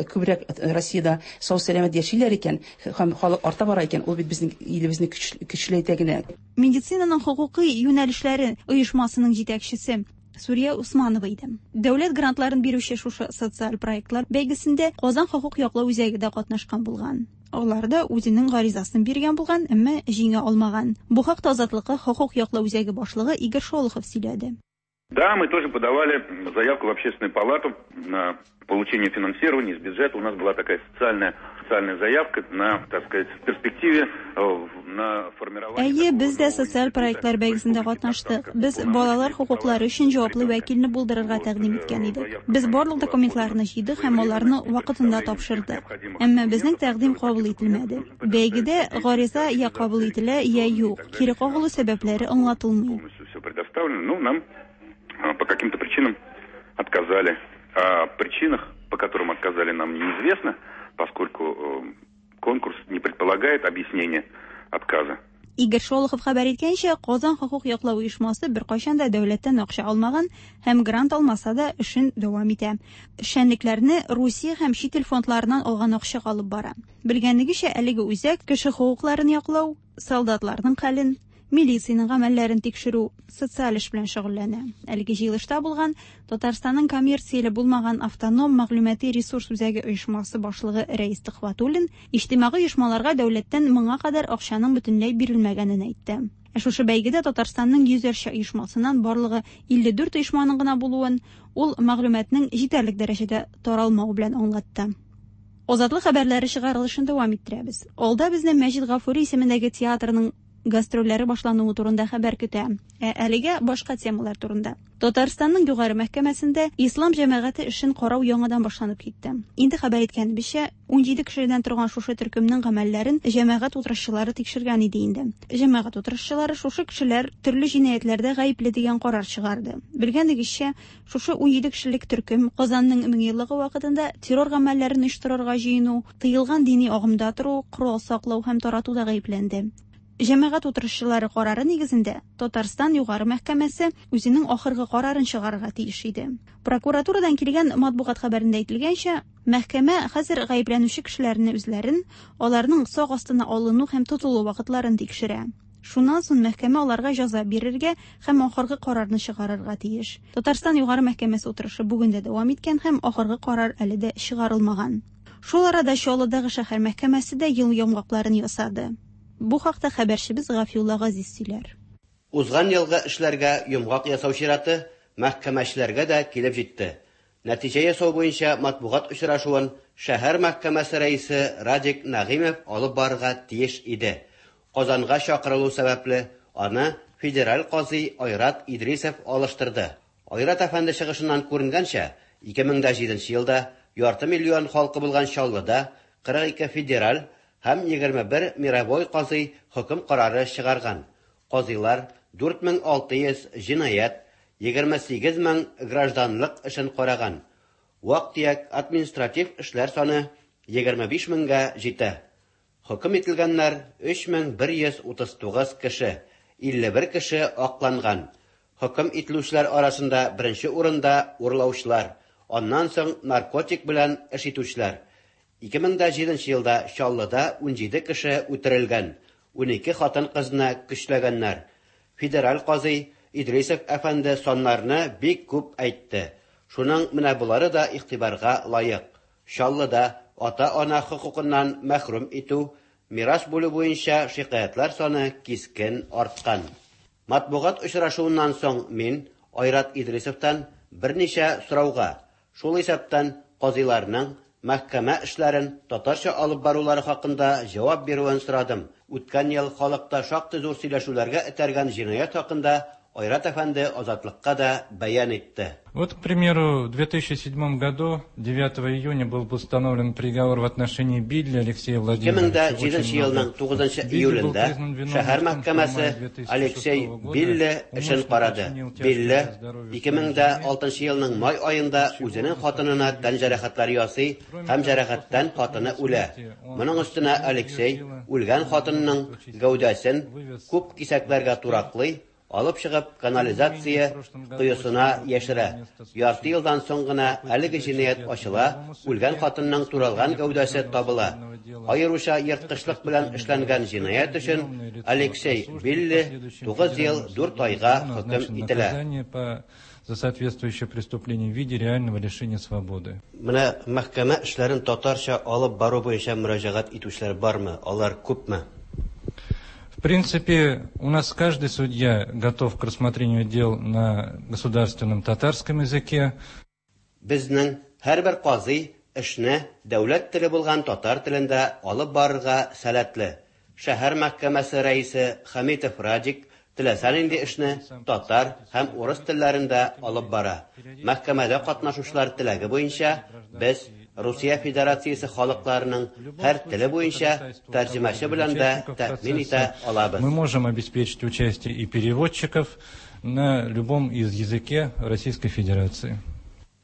Speaker 12: күбрәк Россиядә сау сәламәт яшиләр икән, һәм халык арта бара икән, ул бит безнең илебезне көчләйтә генә.
Speaker 11: Медицинаның хокукый юнәлешләре оешмасының җитәкчесе Сурия Усманова иде. Дәүләт грантларын бирүче шушы социаль проектлар бәйгесендә Казан хокук яклау үзәге дә катнашкан булган. Алар да үзенең гаризасын биргән булган, әмма җиңә алмаган. Бу хакта Азатлыкка хокук яклау үзәге башлыгы Игорь Шолохов сөйләде.
Speaker 13: Да, мы тоже подавали заявку в Общественную палату на получение финансирования из бюджета. У нас была такая социальная, социальная заявка на, так сказать, в перспективе на формирование...
Speaker 11: Әйе, без дә социаль проектлар бәйгесендә катнаштык. Без балалар хокуклары өчен җаваплы вәкилне булдырырга тәкъдим иткән идек. Без барлык документларны җыйдык һәм аларны вакытында тапшырдык. Әмма безнең тәкъдим кабул ителмәде. Бәйгедә гариза я кабул ителә, я юк. Кире кагылу сәбәпләре аңлатылмый.
Speaker 13: Все предоставлено, но нам по каким-то причинам отказали. О причинах, по которым отказали, нам неизвестно, поскольку конкурс не предполагает объяснения отказа.
Speaker 11: Игорь Шолохов хәбәр иткәнчә, Казан хокук яклау оешмасы беркайчан да дәүләттән акча алмаган һәм грант алмаса да эшен дәвам итә. Эшчәнлекләрне Русия һәм чит ил фондларыннан алган акча алып бара. Белгәнегезчә, әлеге үзәк кеше хокукларын яклау, солдатларның хәлен, милициянең гамәлләрен тикшерү, социаль эш белән шөгыльләнә. Әлеге җыелышта булган Татарстанның коммерцияле булмаган автоном мәгълүмати ресурс үзәге оешмасы башлыгы Рәис Төхвәтуллин иҗтимагый оешмаларга дәүләттән моңа кадәр акчаның бөтенләй бирелмәгәнен әйтте. Ә шушы бәйгедә Татарстанның йөзәрчә оешмасыннан барлыгы илле дүрт оешманың гына булуын ул мәгълүматның җитәрлек дәрәҗәдә таралмавы белән аңлатты. Азатлык хәбәрләре чыгарылышын дәвам иттерәбез. Алда безне Мәҗит Гафури исемендәге театрның гастрольләре башлануы турында хәбәр көтә. Ә әлегә башка темалар турында. Татарстанның югары мәхкәмәсендә ислам җәмәгате эшен карау яңадан башланып китте. Инде хәбәр иткәнебезчә, ун җиде кешедән торган шушы төркемнең гамәлләрен җәмәгать утырышчылары тикшергән иде инде. Җәмәгать утырышчылары шушы кешеләр төрле җинаятьләрдә гаепле дигән карар чыгарды. Белгәнегезчә, шушы ун җиде кешелек төркем Казанның меңьеллыгы вакытында террор гамәлләрен оештырырга җыену, тыелган дини агымда тору, корал саклау һәм таратуда гаепләнде. Җәмәгать утырышчылары карары нигезендә Татарстан югары мәхкәмәсе үзенең ахыргы карарын чыгарырга тиеш иде. Прокуратурадан килгән матбугат хәбәрендә әйтелгәнчә, мәхкәмә хәзер гаепләнүче кешеләрне үзләрен, аларның сак астына алыну һәм тотылу вакытларын тикшерә. Шуннан соң мәхкәмә аларга җәза бирергә һәм ахыргы карарны чыгарырга тиеш. Татарстан югары мәхкәмәсе утырышы бүген дә дәвам иткән һәм ахыргы карар әле дә чыгарылмаган. Шул арада Чаллыдагы шәһәр мәхкәмәсе дә ел йомгакларын ясады. Бу хакта хәбәрчебез Гафиулла Газиз сөйләр.
Speaker 14: Узган елгы эшләргә йомгак ясау чираты мәхкәмәчеләргә дә килеп җитте. Нәтиҗә ясау буенча матбугат очрашуын шәһәр мәхкәмәсе рәисе Радик Нәгыймов алып барырга тиеш иде. Казанга чакырылу сәбәпле аны федераль казый Айрат Идрисов алыштырды. Айрат әфәнде чыгышыннан күренгәнчә, ике мең дә җиденче елда ярты миллион халкы булган Чаллыда кырык ике федераль һәм егерме бер мировой казый хөкем карары чыгарган. Казыйлар дүрт мең алты йөз җинаять, егерме сигез мең гражданлык эшен караган. Вак-төяк административ эшләр саны егерме биш меңгә җитә. Хөкем ителгәннәр өч мең бер йөз утыз тугыз кеше, илле бер кеше акланган. Хөкем ителүчеләр арасында беренче урында урлаучылар, аннан соң наркотик белән эш итүчеләр. ике мең дә җиденче елда Чаллыда ун җиде кеше үтерелгән, ун ике хатын-кызны көчләгәннәр. Федераль казый Идрисов әфәнде саннарны бик күп әйтте. Шуның менә булары да игътибарга лаек. Чаллыда ата-ана хокукыннан мәхрүм итү, мирас бүлү буенча шикаятьләр саны кискен арткан. Матбугат очрашуыннан соң мин Айрат Идрисовтан берничә сорауга, шул исәптән казыйларның мәхкәмә эшләрен татарча алып барулары хакында җавап бирүен сорадым. Үткән ел халыкта шактый зур сөйләшүләргә этәргән җинаять хакында Айрат әфәнде Азатлыкка да бәян итте.
Speaker 15: Вот, к примеру, в две тысячи седьмом году, девятого июня, был постановлен приговор в отношении Билли Алексея Владимировича.
Speaker 14: ике мең җиденче елның тугызынчы июлендә шәһәр мәхкәмәсе Алексей Билли эшен карады. Билли ике мең алтынчы елның май аенда үзенең хатынына тән җәрәхәтләре ясый һәм җәрәхәттән хатыны үлә. Моның өстенә Алексей үлгән хатынының гәүдәсен күп кисәкләргә тураклый, алып чыгып канализация коесына яшерә. Ярты елдан соң гына әлеге җинаять ачыла, үлгән хатынның туралган гәүдәсе табыла. Аеруча ерткычлык белән эшләнгән җинаять өчен Алексей Билли тугыз ел дүрт айга хөкем ителә.
Speaker 15: За соответствующее преступление в виде реального лишения свободы.
Speaker 14: Менә мәхкәмә эшләрен татарча алып бару буенча мөрәҗәгать итүчеләр бармы? Алар күпме?
Speaker 15: В принципе, у нас каждый судья готов к рассмотрению дел на государственном татарском языке.
Speaker 14: Безнең һәрбер казый эшне дәүләт теле булган татар телендә алып барырга сәләтле. Шәһәр мәхкәмәсе рәисе Хамитов Радик теләсә нинди эшне татар һәм урыс телләрендә алып бара. Мәхкәмәдә катнашучылар теләге буенча без Русия Федерациясе халыкларының һәр теле буенча тәрҗемәче белән дә тәэмин итә алабыз.
Speaker 15: Мы можем обеспечить участие и переводчиков на любом из языке Российской Федерации.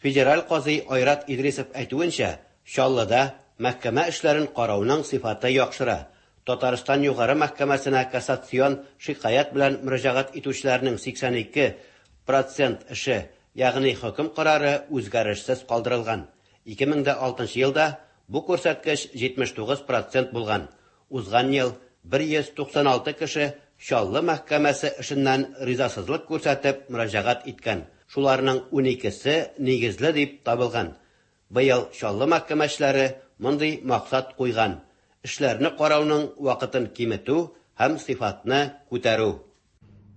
Speaker 14: Федераль казый Айрат Идрисов әйтүенчә, Чаллыда мәхкәмә эшләрен карауның сыйфаты яхшыра. Татарстан югары мәхкәмәсенә кассацион шикаять белән мөрәҗәгать итүчеләрнең сиксән ике процент эше, ягъни хөкем карары үзгәрешсез калдырылган. ике мең алтынчы елда бу күрсәткеч җитмеш тугыз процент булган. Узган ел бер йөз туксан алты кеше Чаллы мәхкәмәсе эшеннән ризасызлык күрсәтеп мөрәҗәгать иткән. Шуларның уникесе нигезле дип табылган. Быел Чаллы мәхкәмәчеләре мондый максат куйган: эшләрне карауның вакытын киметү һәм сыйфатны күтәрү.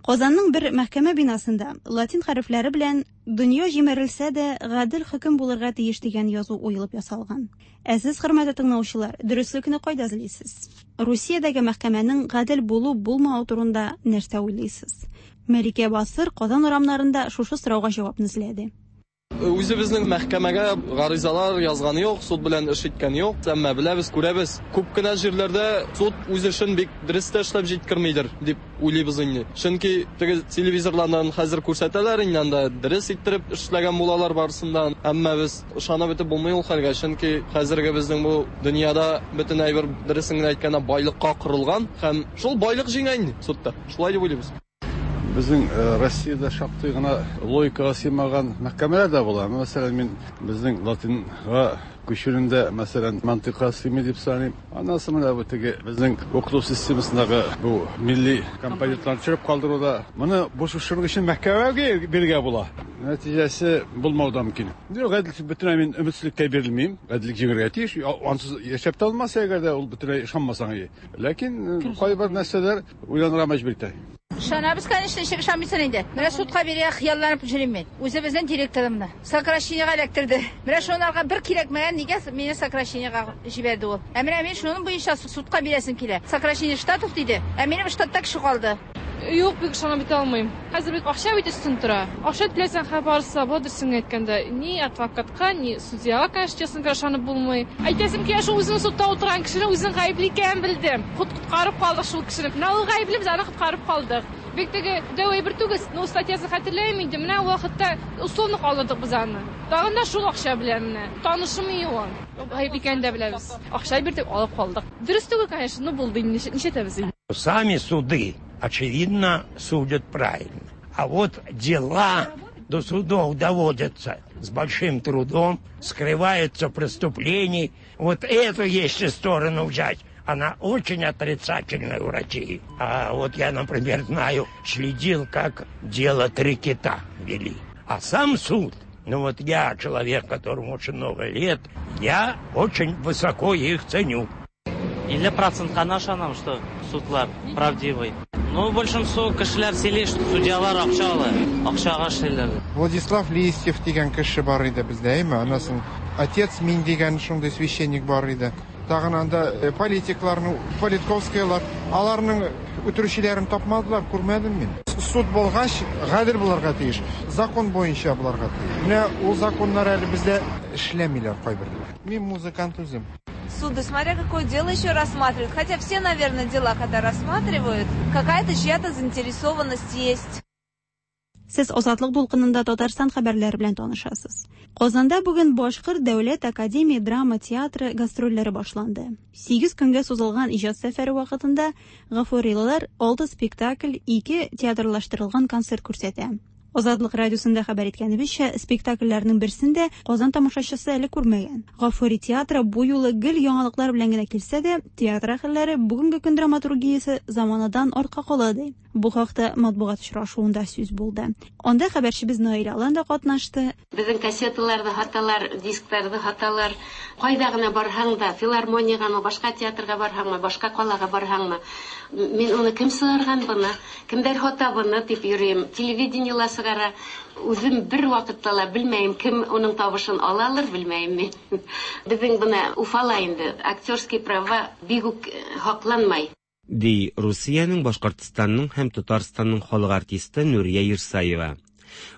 Speaker 11: Казанның бер мәхкәмә бинасында латин хәрефләре белән «Дөнья җимерелсә дә, гадел хөкем булырга тиеш» дигән язу уелып ясалган. Ә сез, хөрмәтле тыңлаучылар, дөреслекне кайда эзлисез? Русиядәге мәхкәмәнең гадел булу-булмавы турында нәрсә уйлыйсыз? Мәликә Басыр Казан урамнарында шушы сорауга җавапны эзләде.
Speaker 16: Үзебезнең мәхкәмәгә гаризалар язганы юк, суд белән эш иткән юк. Әмма беләбез, күрәбез, күп кенә җирләрдә суд үз эшен бик дөрес тә эшләп җиткермидер дип уйлыйбыз инде. Чөнки теге телевизорлардан хәзер күрсәтәләр инде, анда дөрес иттереп эшләгән булалар барысында. Әмма без ышанып бетеп булмый ул хәлгә, чөнки хәзерге безнең бу дөньяда бөтен әйбер дөресен генә әйткәндә байлыкка корылган һәм шул байлык җиңә инде судта. Шулай дип уйлыйбыз.
Speaker 17: Безнең Россиядә шактый гына логикага сыймаган мәхкәмәләр дә була. Мәсәлән, мин безнең латинга күчүендә, мәсәлән, мантыйкка сыймый дип саныйм. Аннан соң менә бу теге безнең укыту системасындагы бу милли компонентларны төшереп калдыруда, моны бу шушының өчен мәхкәмәгә бирергә була. Нәтиҗәсе булмау да мөмкин. Юк, гаделлек бөтенләй мин өметсезлеккә бирелмим. Гаделлек җиңәргә тиеш. Ансыз яшәп тә алмас, әгәр дә ул бөтенләй ышанмасаң. Ләкин кайбер нәрсәләр уйланырга мәҗбүр итә.
Speaker 18: Ышанабыз, конечно, ничек ышанмыйсың инде. Менә судка бирергә хыялланып йөрим мин. Үзебезнең директорымны сокращениега эләктерде. Менә шунарга бер кирәкмәгән нигә мине сокращениега җибәрде ул. Ә менә мин шуның буенча судка бирәсем килә. Сокращение штатов диде. Ә минем штатта кеше калды.
Speaker 19: Юк, бик ышанып бетә алмыйм. Хәзер бит акча бит өстен тора. Акча түләсәң, хәбәр барса, була дөресен әйткәндә, ни адвокатка, ни судьяга, конечно, честно говоря, ышанып булмый. Әйтәсем килә, шул үзенең судта утырган кешене үзенең гаепле икәнен белдем. Коткарып калдык шул кешене. Менә ул гаепле, без аны коткарып калдык. Бик теге дәү әйбер түгел, но статьясын хәтерләмим инде. Менә ул вакытта условно калдырдык без аны. Тагын да шул акча белән менә. Танышым юк. Гаеп икәнен дә беләбез. Акча бирдек, алып калдык. Дөрес түгел, конечно, но булды инде, нишләтәбез инде.
Speaker 20: Сами суды, очевидно, судят правильно. А вот дела до судов доводятся с большим трудом, скрываются преступления. Вот эту если сторону взять, она очень отрицательная у России. А вот я, например, знаю, следил, как дело «Три кита» вели. А сам суд, ну вот я, человек, которому очень много лет, я очень высоко их ценю.
Speaker 21: Илле процентка ышанам, что судлар правдивый. Ну, большинство кешеләр сөйли, что судьялар акча ала, акчага эшлиләр.
Speaker 22: Владислав Листьев дигән кеше бар иде бездә, әйме? Анасын отец Мин дигән шундый священник бар иде.
Speaker 4: Тагын анда политикларны, Политковскийлар, аларның үтерүчеләрен тапмадылар, күрмәдем мин. Суд булгач, гадел булырга тиеш, закон буенча булырга тиеш. Менә ул законнар әле бездә эшләмиләр кайберләр. Мин музыкант үзем.
Speaker 22: Суды, смотря какое дело еще рассматривают. Хотя все, наверное, дела, когда рассматривают, какая-то чья-то заинтересованность есть.
Speaker 11: Сез Азатлык дулкынында Татарстан хәбәрләре белән танышасыз. Казанда бүген Башкорт дәүләт академия драма театры гастрольләре башланды. Сигез көнгә сузылган иҗат сәфәре вакытында гафурилылар алты спектакль, ике театрлаштырылган концерт күрсәтә. Азатлык радиосында хәбәр иткәнебезчә, спектакльләрнең берсен дә Казан тамашачысы әле күрмәгән. Гафури театры бу юлы гел яңалыклар белән генә килсә дә, театр әһелләре бүгенге көн драматургиясе заманадан артка кала ди. Бу хакта матбугат очрашуында сүз булды. Анда хәбәрчебез Наилә Алан да катнашты.
Speaker 23: Безнең кассеталарда хаталар, дискларда хаталар. Кайда гына барһаң да, филармониягә, башка театрга барһаңмы, башка калага барһаңмы, мин уны кем сыгарган буны, кемдер хата буны дип йөрим. Телевидениела сыгара. Үзем бер вакытта ла белмәйем, кем уның тавышын алалыр, белмәйем мин. Безнең бына Уфала инде актерский права бик үк хакланмай.
Speaker 24: Ди Русиянең, Башкортстанның һәм Татарстанның халык артисты Нурия Ирсаева.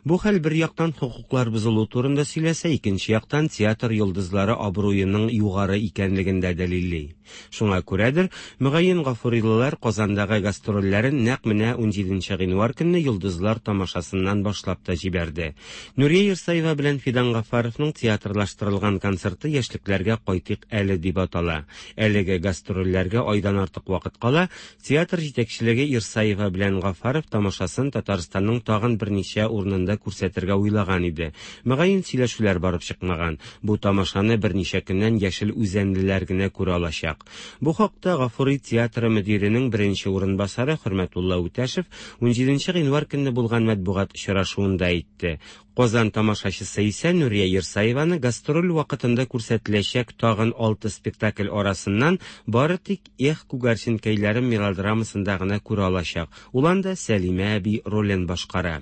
Speaker 24: Бу хәл бер яктан хокуклар бозылу турында сөйләсә, икенче яктан театр йолдызлары абруеның югары икәнлеген дә дәлилли. Шуңа күрәдер, мөгаен гафурилылар Казандагы гастрольләрен нәкъ менә унҗиденче гыйнвар көнне йолдызлар тамашасыннан башлап та җибәрде. Нурия Ирсаева белән Фидан Гафаровның театрлаштырылган концерты яшьлекләргә кайтыйк әле дип атала. Әлеге гастрольләргә айдан артык вакыт кала, театр җитәкчелеге Ирсаева белән Гафаров тамашасын Татарстанның тагын берничә урынында күрсәтергә уйлаган иде. Мөгаен сөйләшүләр барып чыкмаган. Бу тамашаны берничә көннән яшел үзәнлеләр генә күрә алачак. Бу хакта Гафури театры мөдиренең беренче урынбасары Хөрмәтулла Үтәшев унҗиденче гыйнвар көнне булган матбугат очрашуында әйтте. Казан тамашачысы исә Нурия Ирсаеваны гастроль вакытында күрсәтеләчәк тагын алты спектакль арасыннан бары тик Эх күгәрченкәйләрем мелодрамасында гына күрә алачак. Ул анда Сәлимә әби ролен башкара.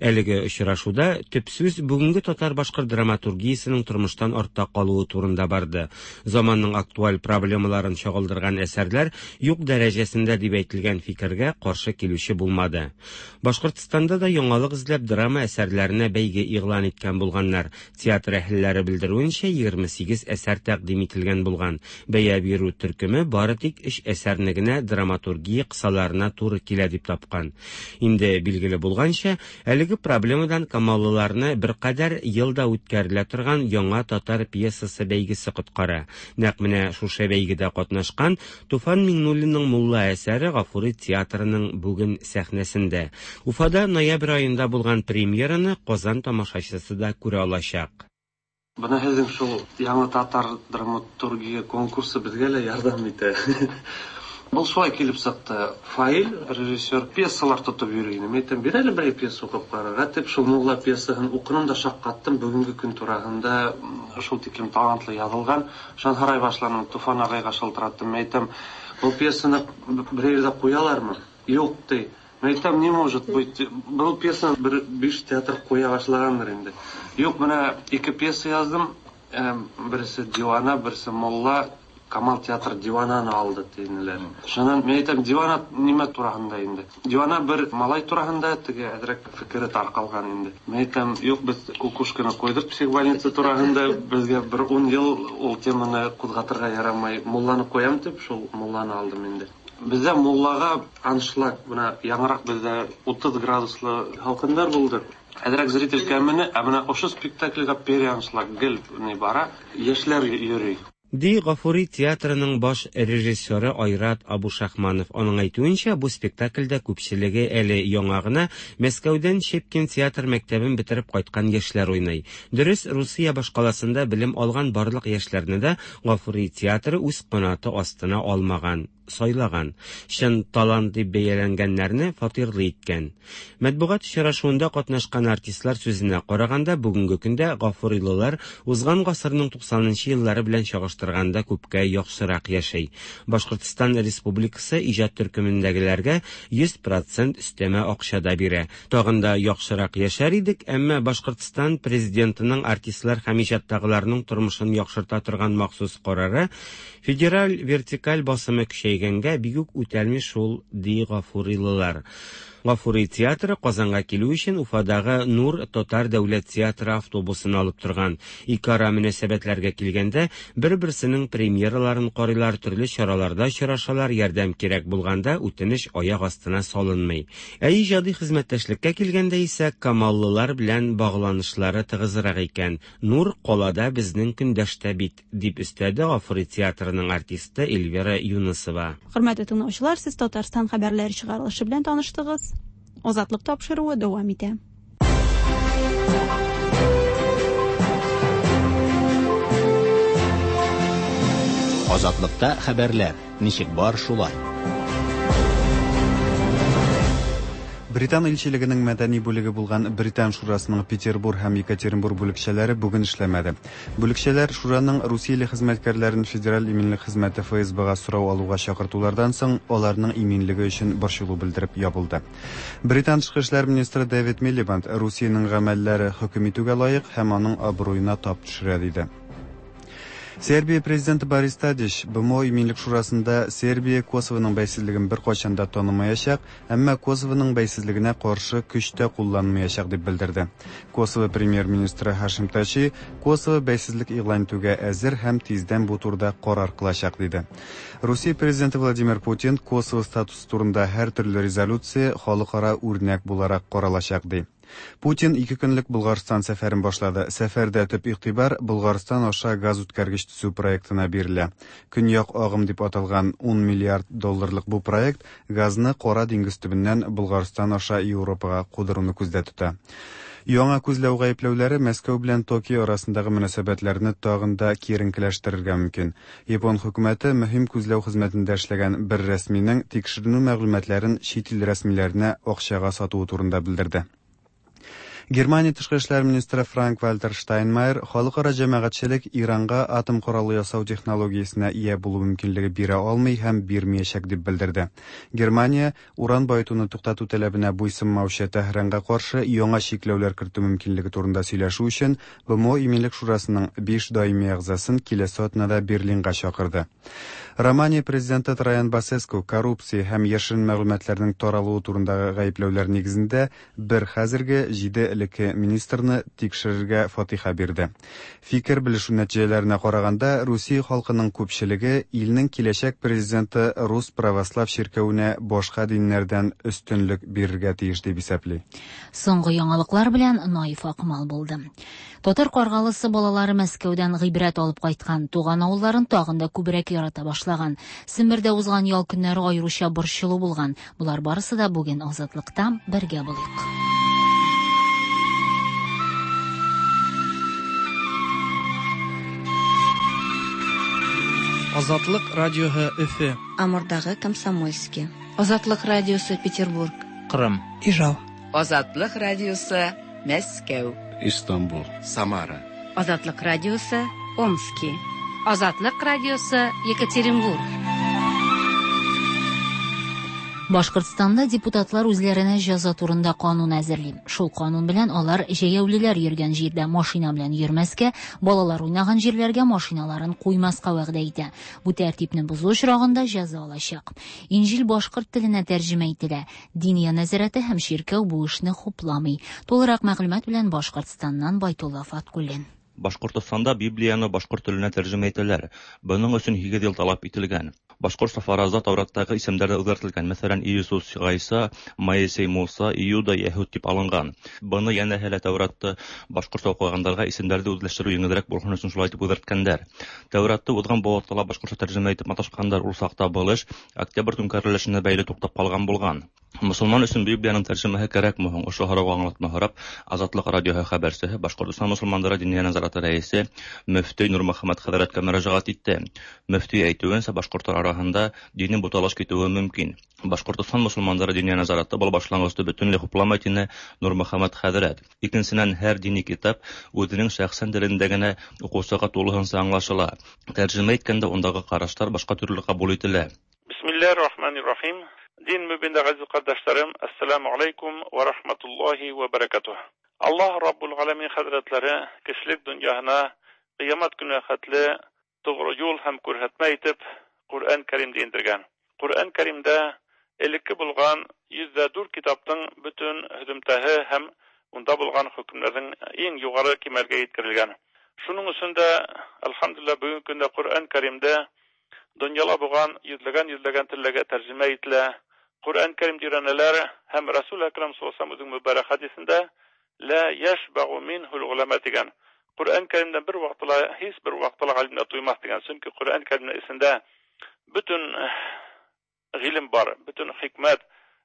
Speaker 24: Әлеге очрашуда төп сүз бүгенге татар-башкорт драматургиясенең тормыштан артта калуы турында барды. Заманның актуаль проблемаларын чагылдырган әсәрләр юк дәрәҗәсендә дип әйтелгән фикергә каршы килүче булмады. Башкортстанда да яңалык эзләп драма әсәрләренә бәйге игълан иткән булганнар. Театр әһелләре белдерүенчә, егерме сигез әсәр тәкъдим ителгән булган. Бәя бирү төркеме бары тик өч әсәрне генә драматургия кысаларына туры килә дип тапкан. Инде билгеле булганча, әлеге проблемадан камаллыларны беркадәр елда үткәрелә торган яңа татар пьесасы бәйгесе коткара. Нәкъ менә шушы бәйгедә катнашкан Туфан Миңнуллинның Мулла әсәре Гафури театрының бүген сәхнәсендә. Уфада ноябрь аенда булган премьераны Казан тамашачысы да күрә алачак.
Speaker 25: Бына һеҙҙең шул яңа татар драматургия конкурсы беҙгә лә ярҙам итә. Был шулай килеп сыҡты. Фаил, режиссер, пьесалар тотоп йөрөй ине. Мин әйтәм, бир әле берәй пьеса уҡып ҡарарға тип, шул Мулла пьесаһын уҡыным да шаҡ ҡаттым. Бөгөнгө көн тураһында шул тиклем талантлы яҙылған. Шунан һорай башланым, Туфан ағайға шылтыраттым. Мин әйтәм, был пьесаны берәй ерҙә ҡуялармы? Юҡ, ти. Мин әйтәм, не может быть. Был пьесаны бер биш театр ҡуя башлағандыр инде. Юҡ, бына ике пьеса яҙҙым. Береһе Диуана, береһе Мулла. Камал театр Диуананы алды тинеләр. Шунан мин әйтәм, Диуана нимә тураһында инде? Диуана бер малай тураһында, теге әҙерәк фекере тарҡалған инде. Мин әйтәм, юҡ, беҙ Кукушканы ҡуйҙыҡ психбольница тураһында, беҙгә бер ун йыл ул теманы ҡуҙғатырға ярамай. Мулланы ҡуям тип, шул Мулланы алдым инде. Беҙҙә Муллаға аншлаг, бына яңыраҡ беҙҙә утыҙ градуслы һалҡындар булды. Әҙерәк зритель кәмене, ә бына ошо спектакльгә переаншлаг гел ни бара, йәшләр йөрөй.
Speaker 24: Ди Гафури театрының баш режиссеры Айрат Абушахманов. Аның әйтүенчә, бу спектакльдә күпчелеге әле яңа гына Мәскәүдән Щепкин театр мәктәбен бетереп кайткан яшьләр уйный. Дөрес, Русия башкаласында белем алган барлык яшьләрне дә Гафури театры үз канаты астына алмаган. сайлаган. Чын талант дип бәяләнгәннәрне фатирлы иткән. Матбугат очрашуында катнашкан артистлар сүзенә караганда, бүгенге көндә гафурилылар узган гасырның туксанынчы еллары белән чагыштырганда күпкә яхшырак яшәй. Башкортстан Республикасы иҗат төркемендәгеләргә йөз процент өстәмә акча да бирә. Тагын да яхшырак яшәр идек, әмма Башкортстан президентының артистлар һәм иҗаттагыларның тормышын яхшырта торган махсус карары федераль вертикаль басымы көчәйгәнгә бик үк үтәлми шул, ди гафурилылар. Гафури театры Казанга килү өчен Уфадагы Нур татар дәүләт театры автобусын алып торган. Ике ара мөнәсәбәтләргә килгәндә, бер-берсенең премьераларын карыйлар, төрле чараларда очрашалар, ярдәм кирәк булганда үтенеч аяк астына салынмый. Ә иҗади хезмәттәшлеккә килгәндә исә камаллылар белән багланышлары тыгызрак икән. Нур калада безнең көндәштә бит, дип өстәде Гафури театрының артисты Эльвира Юнысова.
Speaker 11: Хөрмәтле тыңлаучылар, сез Татарстан хәбәрләре чыгарылышы белән таныштыгыз. Азатлык тапшыруы дәвам итә.
Speaker 1: Азатлыкта хәбәрләр ничек бар шулай.
Speaker 3: Британ илчелегенең мәдәни бүлеге булган Британ шурасының Петербург һәм Екатеринбург бүлекчәләре бүген эшләмәде. Бүлекчәләр шураның Русияле хезмәткәрләрен Федераль иминлек хезмәте эф эс бэ-га сорау алуга чакыртулардан соң аларның иминлеге өчен борчылу белдереп ябылды. Британ тышкы эшләр министры Дэвид Милибанд Русиянең гамәлләре хөкем итүгә лаек һәм аның абруена тап төшерә диде. Сербия президенты Борис Тадич бэ эм о иминлек шурасында Сербия Косовоның бәйсезлеген бер кайчан да танымаячак, әмма Косовоның бәйсезлегенә каршы көч тә кулланмаячак дип белдерде. Косово премьер-министры Хашим Тачи Косово бәйсезлек игълан итүгә әзер һәм тиздән бу турыда карар кылачак диде. Русия президенты Владимир Путин Косово статусы турында һәр төрле резолюция халыкара үрнәк буларак каралачак ди. Путин ике көнлек Болгарстан сәфәрен башлады. Сәфәрдә төп игътибар Болгарстан аша газ үткәргеч төзү проектына бирелә. Көньяк агым дип аталган ун миллиард долларлык бу проект газны Кара диңгез төбеннән Болгарстан аша Европага кудыруны күздә тота. Яңа күзләү гаепләүләре Мәскәү белән Токио арасындагы мөнәсәбәтләрне тагын да киеренкеләштерергә мөмкин. Япон хөкүмәте мөһим күзләү хезмәтендә эшләгән бер рәсминең тикшеренү мәгълүматларын чит ил рәсмиләренә акчага сатуы турында белдерде. Германия тышкы эшләр министры Франк-Вальтер Штайнмайер халыкара җәмәгатьчелек Иранга атом коралы ясау технологиясенә ия булу мөмкинлеге бирә алмый һәм бирмәячәк дип белдерде. Германия уран баетуны туктату таләбенә буйсынмаучы Тәһранга каршы яңа чикләүләр кертү мөмкинлеге турында сөйләшү өчен бэ эм о Иминлек шурасының биш даими әгъзасын киләсе атнада Берлинга чакырды. Романия президенты Траян Басеску коррупция һәм яшерен мәгълүматларның таралуы турындагы гаепләүләр нигезендә бер хәзерге җиде элекке министрны тикшерергә фатиха бирде. Фикер белешү нәтиҗәләренә караганда, Русия халкының күпчелеге илнең киләчәк президенты Рус православ чиркәвенә башка диннәрдән өстенлек бирергә тиеш дип исәпли.
Speaker 2: Соңгы яңалыклар белән Наиф Акмал булды. Татар Каргалысы балалары Мәскәүдән гыйбрәт алып кайткан, туган авылларын тагын да күбрәк ярата башлаган. Сембердә узган ял көннәре аеруча борчылу булган. Болар барысы да бүген Азатлыкта бергә булыйк.
Speaker 5: Азатлык радиоһы Өфе.
Speaker 6: Амурдагы Комсомольский. Азатлык радиосы Петербург.
Speaker 5: Кырым. Ижау.
Speaker 7: Азатлык радиосы Мәскәү.
Speaker 9: Истанбул. Самара.
Speaker 26: Азатлык радиосы Омский. Азатлык радиосы Екатеринбург.
Speaker 2: Башкортстанда депутатлар үзләренә җәза турында канун әзерли. Шул канун белән алар җәяүлеләр йөргән җирдә машина белән йөрмәскә, балалар уйнаган җирләргә машиналарын куймаска вәгъдә итә. Бу тәртипне бозу очрагында җәза алачак. Инҗил башкорт теленә тәрҗемә ителә. Диния нәзарәте һәм чиркәү бу эшне хупламый. Тулырак мәгълүмат белән Башкортстаннан Байтулла Фаткуллин.
Speaker 27: Башкортостанда Библияны башкорт теленә тәрҗемә итәләр. Буның өчен һигез ел таләп ителгән. Башкортча фаразда Тәүраттагы исемнәр дә үзгәртелгән. Мәсәлән, Иисус Гайса, Моисей Муса, Иуда Яһүд дип алынган. Буны янә һәлә Тәүратты башкортча укыгандарга исемнәрне үзләштерү җиңелрәк булган өчен шулай итеп үзгәрткәннәр. Тәүратты узган бу вакытта башкортча тәрҗемә итеп маташканнар, ул сакта был эш Октябрь түңкәрелешенә бәйле туктап калган булган. Мосолман өсөн Библияның тәржемәһе кәрәкме һуң? Ошо һорауға аңлатма һорап, Азатлык радиоһы хәбәрсеһе Башҡортостан мосолмандары Диниә назараты рәйесе мөфтөй Нурмөхәммәт хәҙрәткә мөрәжәғәт итте. Мөфтөй әйтеүенсә, башҡорттар араһында дини буталыш китеүе мөмкин. Башҡортостан мосолмандары Диниә назараты был башланғысты бөтөнләй хупламай, тине Нурмөхәммәт хәҙрәт. Икенсенән, һәр дини китап үҙенең шәхсән телендә генә уҡыусыға тулыһынса аңлашыла. Тәржемә иткәндә ундағы ҡараштар башҡа төрлө ҡабул ителә.
Speaker 8: Бисмиллahirrahmanirrahim. Din mübinde aziz kardeşlerim, Esselamu Aleyküm ve Rahmetullahi ve Berekatuhu. Allah Rabbul Alemin Hazretleri kişilik dünyasına kıyamet günü hatli doğru yol hem kürhetme etip Kur'an-ı Kerim'de indirgen. Kur'an-ı Kerim'de eliki bulgan yüzde dört kitaptın bütün hüdümtehi hem onda bulgan hükümlerin en yukarı kemalge yetkirilgen. Şunun üstünde elhamdülillah bugünkü günde Kur'an-ı Kerim'de dünyala bulgan yüzlegen yüzlegen tillege tercüme etile. Kur'an-ı Kerim direnler hem Resul-i Ekrem sallallahu aleyhi ve sellem mübarek hadisinde la yeşbe'u minhu'l ulema degan. Kur'an-ı Kerim'den bir vaqtla hiç bir vaqtla alimler duymaz degan. Çünkü Kur'an-ı Kerim'in içinde bütün ilim var, bütün hikmet.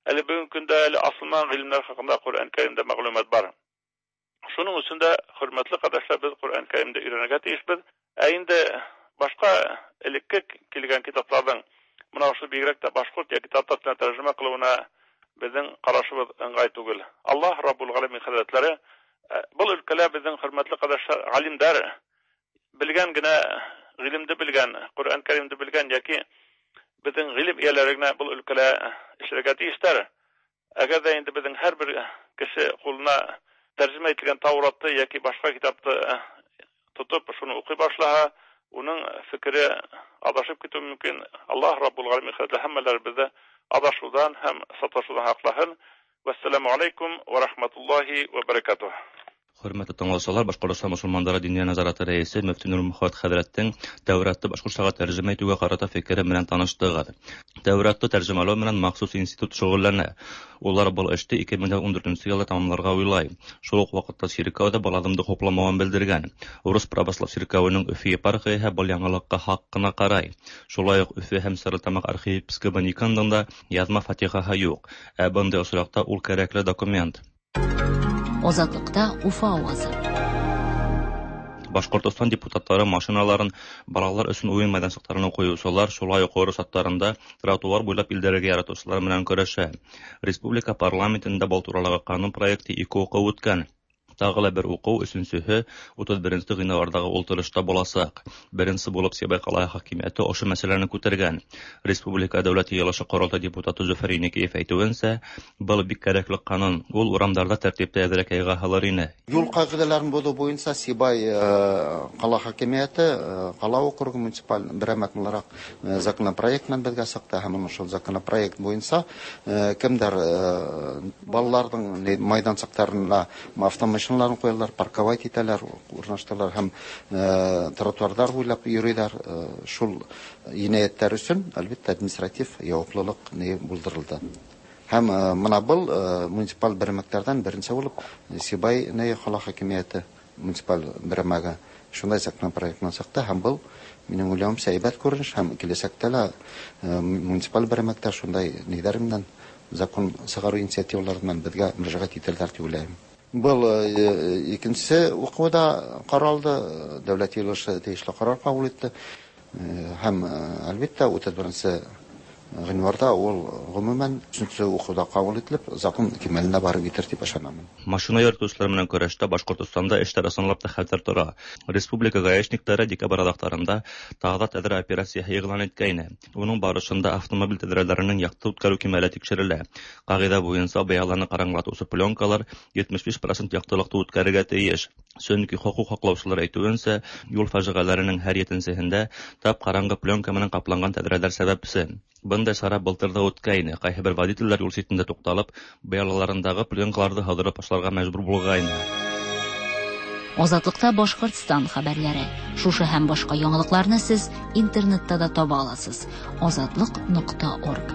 Speaker 8: Hele bugünkü günde hele asılman ilimler hakkında Kur'an-ı Kerim'de maglumat var. Şunun üstünde hürmetli kardeşler biz Kur'an-ı Kerim'de öğrenmeye tiyişbiz. Endi başka elekki kelgan kitaplardan mına şu бигрәк тә башҡорт йәки татар теленә тәржемә ҡылыуына беҙҙең ҡарашыбыҙ ыңғай түгел. Аллаһ Раббул Ғаләмин хәҙрәтләре был өлкәлә беҙҙең хөрмәтле ҡәрҙәштәр ғалимдар белгән генә ғилемде белгән, Ҡөрьән Кәримде белгән йәки беҙҙең ғилем эйәләре генә был өлкәлә эшләргә тейештәр. Әгәр ҙә инде беҙҙең һәр бер кеше ҡулына тәржемә ителгән Тауратты йәки башҡа китапты тотоп шуны уҡый башлаһа, уның фекере адашып китеүе мөмкин. Аллаһ Раббул Ғаләмин хәҙрәтләре һәммәләребеҙҙе адашыуҙан һәм саташыуҙан һаҡлаһын. Вәссәләмү алейкум ва рахматуллаһи ва баракатуһ.
Speaker 27: Хөрмәтле тыңлаусылар, Башҡортостан мосолмандары Диниә назараты рәйесе мөфти Нурмөхәммәт хәҙрәттең Тәүратты башҡортсаға тәржемә итеүгә ҡарата фекере менән таныштығыҙ. Тәүратты тәржемәләү менән махсус институт шөғөлләнә. Улар был эште ике мең ун дүртенсе йылда тамамларға уйлай. Шул уҡ ваҡытта сиркәү ҙә был аҙымды хупламауын белдергән. Урыҫ православ сиркәүенең Өфө епархияһы был яңылыҡҡа хаҡ ҡына ҡарай. Шулай уҡ Өфө һәм Стәрлетамаҡ архиепискобы Никондың да яҙма фатихаһы юҡ. Ә бындай осраҡта ул кәрәкле документ.
Speaker 2: Азатлыкта Уфа авазы.
Speaker 27: Башҡортостан депутаттары машиналарын балалар өсөн уйын майҙансыҡтарына ҡуйыусылар, шулай уҡ орос аттарында тротуар буйлап илдәрергә яратыусылар менән көрәшә. Республика парламентында был туралағы ҡанун проекты ике уҡыу үткән. Тағы ла бер уҡыу, өсөнсөһө утыҙ беренсе ғинуарҙағы ултырышта буласаҡ. Беренсе булып Сибай ҡалаһы хакимиәте ошо мәсьәләне күтәргән. Республика Дәүләт Йыйылышы Ҡоролтай депутаты Зөфәр Еникеев әйтеүенсә, был бик кәрәкле ҡанун. Ул урамдарҙа тәртипте әҙерәк яйға һалыр ине.
Speaker 10: Юл ҡағиҙәләрен боҙоу буйынса Сибай ҡала хакимиәте ҡала округы муниципаль берәмлек булараҡ законопроект менән беҙгә сыҡты, һәм ошол законопроект буйынса кемдәр балаларҙың майҙансыҡтарына автомашиналарын ҡуялар, парковать итәләр, урнаштыралар һәм тротуарҙар буйлап йөрөйҙәр. Шул енәйәттәр өсөн, әлбиттә, административ яуаплылыҡ ни булдырылды. Һәм мына был муниципаль берәмлектәрҙән беренсе булып Сибай ҡала хакимиәте муниципаль берәмлеге шундай законопроект менән сыҡты, һәм был минең уйлауымса һәйбәт күренеш, һәм киләсәктә лә муниципаль берәмлектәр шундай ниҙәр менән закон сығарыу инициативалары менән беҙгә мөрәжәғәт итәләр тип уйлайым. Был икенсе уҡыуҙа ҡаралды, Дәүләт Йыйылышы тейешле ҡарар ҡабул итте, һәм әлбиттә утыҙ беренсе ғинуарҙа ул ғөмүмән өсөнсө уҡыуҙа ҡабул ителеп, закон кимәленә барып етер тип ышанамын.
Speaker 27: Машина йөрөтөүселәр менән көрәштә Башҡортостанда эштәр ысынлап та хәтәр тора. Республика гаишниктары декабрь аҙаҡтарында Таҙа тәҙрә операцияһы иғлан иткәйне. Уның барышында автомобиль тәҙрәләренең яҡты үткәреү кимәле тикшерелә. Ҡағиҙә буйынса быяланы ҡараңғылатыусы пленкалар етмеш биш процент яҡтылыҡты үткәрергә тейеш. Сөнки хоҡуҡ һаҡлаусылар әйтеүенсә, юл фажиғәләренең һәр етенсеһендә тап ҡараңғы пленка менән ҡапланған тәҙрәләр сәбәпсе. Бындай сара былтыр ҙа үткәйне. Ҡайһы бер водителдәр юл ситендә туҡталып, быялаларындағы пленкаларҙы һыҙырып ташларға мәжбүр булғайны.
Speaker 2: Азатлыкта Башҡортостан хәбәрләре. Шушы һәм башҡа яңылыҡларны сез интернетта да таба аласыз. Азатлык нуҡта орг.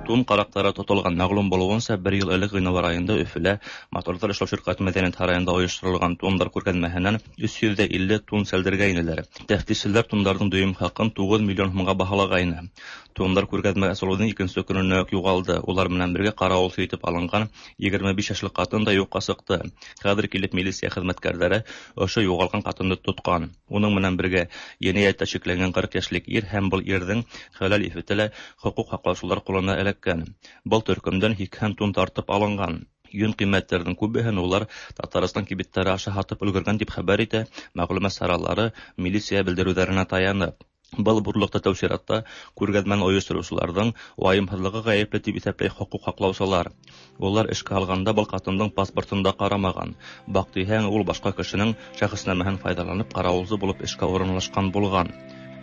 Speaker 27: Тун караҡтары тотолған. Мәғлүм булыуынса, бер йыл элек ғинуар айында Өфөлә моторҙар эшләү ширҡәте мәҙәниәт һарайында ойошторолған тундар күргәҙмәһенән өс йөҙ ҙә илле тун сәлдергәйнеләр. Тәфтишселәр тундарҙың дөйөм хаҡын туғыҙ миллион һумға баһалағайны. Тундар күргәҙмә асылыуҙың икенсе көнөнә үк юғалды. Улар менән бергә ҡарауылсы итеп алынған егерме биш йәшлек ҡатын да юҡҡа сыҡты. Хәҙер килеп милиция хеҙмәткәрҙәре ошо юғалған ҡатынды тотҡан. Уның менән бергә енәйәттә шикләнгән ҡырҡ йәшлек ир һәм был ирҙең хәләл ефете лә хоҡуҡ һаҡлаусылар ҡулына эләккән. Был төркөмдән һикһән тун тартып алынған. Йөн ҡиммәттәрҙең күбеһен улар Татарстан кибеттәре аша һатып өлгөргән тип хәбәр итә мәғлүмәт саралары милиция белдереүҙәренә таянып. Был бурлыҡта тәү сиратта күргәҙмәне ойоштороусыларҙың вайымһыҙлығы ғәйепле тип иҫәпләй хоҡуҡ һаҡлаусылар. Улар эшкә алғанда был ҡатындың паспортын да ҡарамаған. Баҡтиһәң, ул башҡа кешенең шәхеснамәһен файҙаланып ҡарауылсы булып эшкә урынлашҡан булған.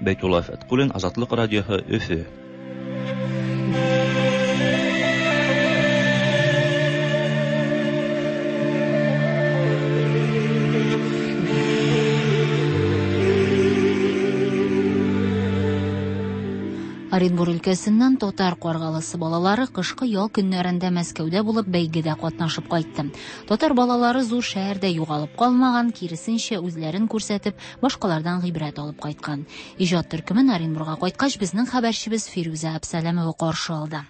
Speaker 27: Бәйтулла Фәтҡуллин, Азатлыҡ радиоһы, Өфө.
Speaker 2: Оренбур өлкәсеннән татар Ҡарғалысы балалары ҡышҡы ял көннәрендә Мәскәүҙә булып бәйгедә ҡатнашып ҡайтты. Татар балалары ҙур шәһәрҙә юғалып ҡалмаған, киресенсә үҙләрен күрһәтеп, башҡаларҙан ғибрәт алып ҡайтҡан. Ижад төркөмөн Оренбурға ҡайтҡас беҙҙең хәбәрсебеҙ Фирүзә Әбсәләмова ҡаршы алды.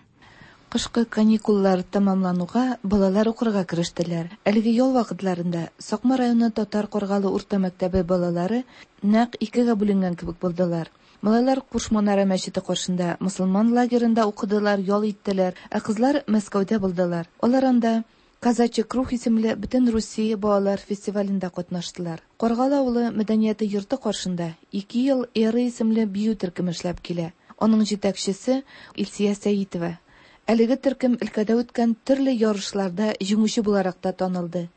Speaker 12: Ҡышҡы каникуллар тамамланыуға балалар уҡырға керештеләр. Әлеге ял ваҡытларында Саҡма районы Татар Ҡарғалы урта мәктәбе балалары нәҡ икегә бүленгән кебек булдылар. Малайлар Ҡуш Манара мәсете ҡаршында мосолман лагерында уҡыдылар, ял иттеләр, ә ҡыҙлар Мәскәүҙә булдылар. Улар анда Казачий круг исемле бөтөн Русия балалар фестивалендә ҡатнаштылар. Ҡарғалы ауылы мәдәниәте йорто ҡаршында ике йыл Эра исемле бейеү төркөмө эшләп килә. Уның етәксеһе Илсиә Сәйитова. Әлеге төркөм өлкәдә үткән төрлө ярышларҙа еңеүсе булараҡ та танылды.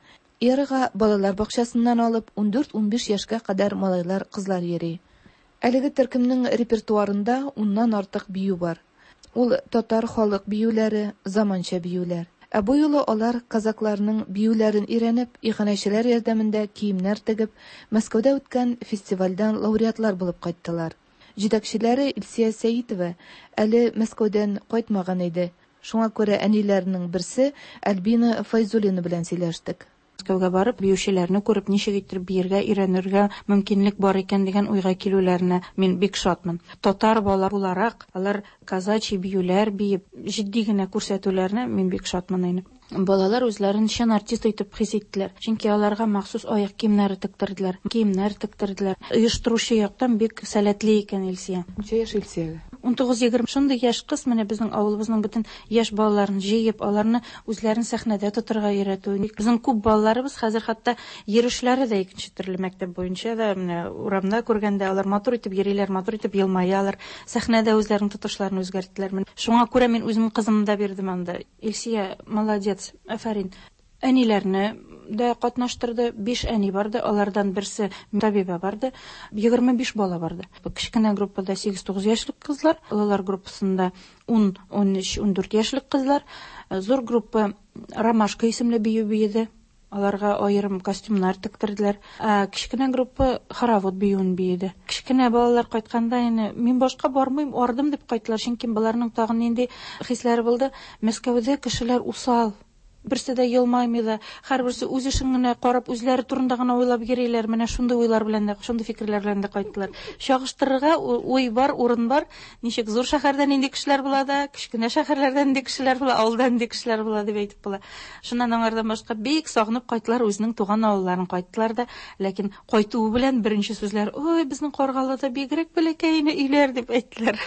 Speaker 12: Эраға балалар баҡсаһынан алып ун дүрт-ун биш йәшкә ҡәҙәр малайлар, ҡыҙлар йөрөй. Әлеге төркөмнең репертуарында уннан артыҡ бейеү бар. Ул татар халыҡ бейеүләре, заманса бейеүләр. Ә бу юлы алар казакларның бейеүләрен өйрәнеп, иғанәселәр ярҙамында кейемдәр тегеп, Мәскәүҙә үткән фестивалдән лауреатлар булып ҡайттылар. Етәкселәре Илсиә Сәйитова әле Мәскәүҙән ҡайтмаған ине. Шуңа күрә әниләренең берсе Альбина Файзуллина белән сөйләштек.
Speaker 13: Мәскәүгә барып, биючеләрне күреп, ничек итеп биергә өйрәнергә мөмкинлек бар икән дигән уйга килүләренә мин бик шатмын. Татар бала буларак, алар казачий биюләр биеп, җитди генә күрсәтүләренә мин бик шатмын инде. Балалар үзләрен чын артист итеп хис иттеләр. Чөнки аларга махсус аяк киемнәре тектерделәр, киемнәр тектерделәр. Оештыручы яктан бик сәләтле икән Илсия.
Speaker 12: Ничә яшь Илсиягә?
Speaker 13: ун тугыз егерме шундый яшь кыз менә безнең авылыбызның бөтен яшь балаларын җыеп, аларны үзләрен сәхнәдә тотырга өйрәтү. Безнең күп балаларыбыз хәзер хәтта йөрүшләре дә икенче төрле мәктәп буенча да менә урамда күргәндә алар матур итеп йөриләр, матур итеп елмаялар, сәхнәдә үзләренең тотышларын үзгәрттеләр. Шуңа күрә мин үземнең кызымны да бирдем анда. Илсия молодец, афәрин. Әниләрне дә катнаштырды. Биш әни барды, алардан берсе табибә барды. Егерме биш бала барды. Кечкенә группада сигез-тугыз яшьлек кызлар, олылар группасында ун, ун өч, ун дүрт яшьлек кызлар. Зур группа Ромашка исемле бию биеде. Аларга аерым костюмнар тектерделәр. Ә кечкенә группа хоровод биюен биеде. Кечкенә балалар кайтканда инде мин башка бармыйм, ардым дип кайттылар, чөнки балаларның тагын нинди хисләре булды. Мәскәүдә кешеләр усал. Берсе дә елмаймый да, һәрберсе үз эшен генә карап, үзләре турында гына уйлап йөриләр. Менә шундый уйлар белән дә, шундый фикерләр белән дә кайттылар. Чагыштырырга уй бар, урын бар. Ничек зур шәһәрдә нинди кешеләр була да, кечкенә шәһәрләрдә нинди кешеләр була, авылда нинди кешеләр була дип әйтеп була. Шуннан аңардан башка бик сагынып кайттылар, үзенең туган авылларын кайттылар да, ләкин кайтуы белән беренче сүзләр: "Ой, безнең Каргалыда бигрәк бәләкәй өйләр" дип әйттеләр.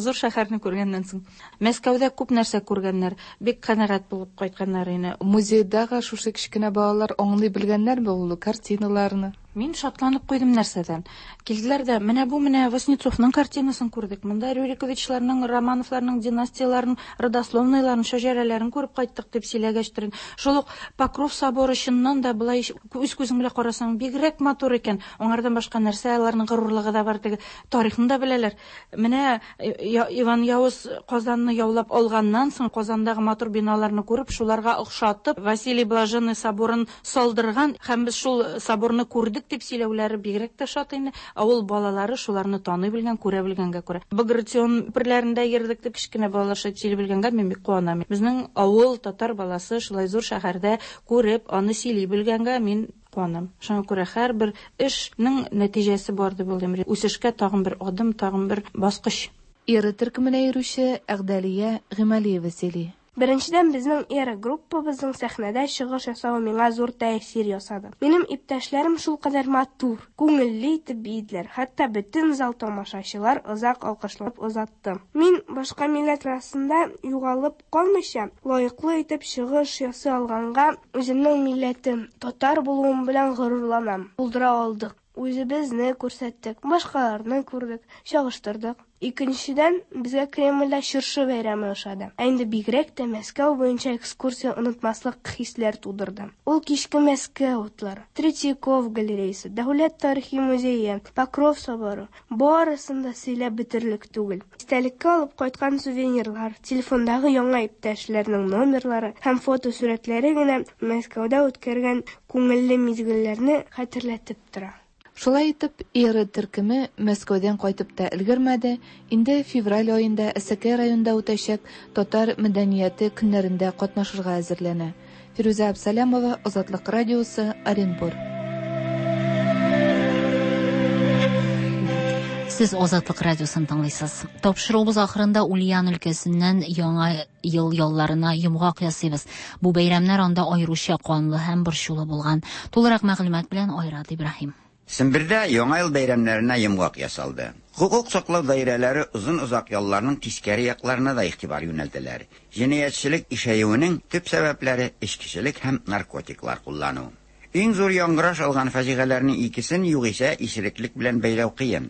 Speaker 13: Зур шәһәрне күргәннән соң. Мәскәүдә күп нәрсә күргәннәр, бик канәгать булып кайтканнар ине.
Speaker 12: Музейдагы шушы кечкенә балалар аңлый белгәннәрме ул картиналарны?
Speaker 13: Мин шатланып куйдым нәрсәдән. Килделәр дә, менә бу менә Васнецовның картинасын күрдек. Монда Рюриковичларның, Романовларның династияларын, родословныйларын, шәҗәрәләрен күреп кайттык дип сөйләгәчтерен. Шул ук Покров соборы чыннан да былай үз күзең белән карасаң бигрәк матур икән. Аңардан башка нәрсә, аларның горурлыгы да бар, теге тарихын да беләләр. Менә Иван Яуыз Казанны яулап алганнан соң Казандагы матур биналарны күреп, шуларга охшатып Василий Блаженный соборын салдырган һәм без шул соборны күрдек. Йөрдек дип сөйләүләре бигрәк тә шат инде. Авыл балалары шуларны таный белгән, күрә белгәнгә күрә. Багратион күперләрендә йөрдек дип кечкенә балалар шулай сөйли белгәнгә мин бик куанам. Безнең авыл татар баласы шулай зур шәһәрдә күреп, аны сөйли белгәнгә мин куанам. Шуңа күрә һәрбер эшнең нәтиҗәсе бар дип уйлыйм. Үсешкә тагын бер адым, тагын бер баскыч.
Speaker 12: Эра төркеменә йөрүче Әгъдәлия Гыймалиева сөйли.
Speaker 14: Беренчедән, безнең Эра группабызның сәхнәдә чыгыш ясавы миңа зур тәэсир ясады. Минем иптәшләрем шулкадәр матур, күңелле итеп биеделәр, хәтта бөтен зал тамашачылар озак алкышлап озатты. Мин башка милләт арасында югалып калмыйча, лаеклы итеп чыгыш ясый алганга үземнең милләтем, татар булуым белән горурланам. Булдыра алдык. Үзебезне күрсәттек, башкаларны күрдек, чагыштырдык. Икенчедән, безгә Кремльдә чыршы бәйрәме ошады. Ә инде бигрәк тә Мәскәү буенча экскурсия онытмаслык хисләр тудырды. Ул кичке Мәскәү утлары, Третьяков галереясы, Дәүләт тарихи музее, Покров соборы барысын да сөйләп бетерерлек түгел. Истәлеккә алып кайткан сувенирлар, телефондагы яңа иптәшләрнең номерлары һәм фотосурәтләре генә Мәскәүдә үткәргән күңелле мизгелләрне хәтерләтеп тора.
Speaker 12: Шулай итеп, Эра төркеме Мәскәүдән кайтып та өлгермәде, инде февраль аенда Әсәкәй районында үтәчәк татар мәдәнияте көннәрендә катнашырга әзерләнә. Фирүзә Абсалямова, Азатлык радиосы, Оренбур.
Speaker 2: Сез Азатлык радиосын тыңлыйсыз. Тапшыруыбыз ахырында Ульян өлкәсеннән яңа ел ялларына йомгак ясыйбыз. Бу бәйрәмнәр анда аеруча канлы һәм борчулы булган. Тулырак мәгълүмат белән Айрат Ибраһим.
Speaker 15: Сембердә яңа ел бәйрәмнәренә йомгак ясалды. Хукук саклау даирәләре озын-озак ялларның тискәре якларына да игътибар юнәлтәләр. Җинаятьчелек ишәюенең төп сәбәпләре эчкечелек һәм наркотиклар куллану. Иң зур яңгыраш алган фаҗигаләрнең икесен югыйсә исереклек белән бәйләү кыен.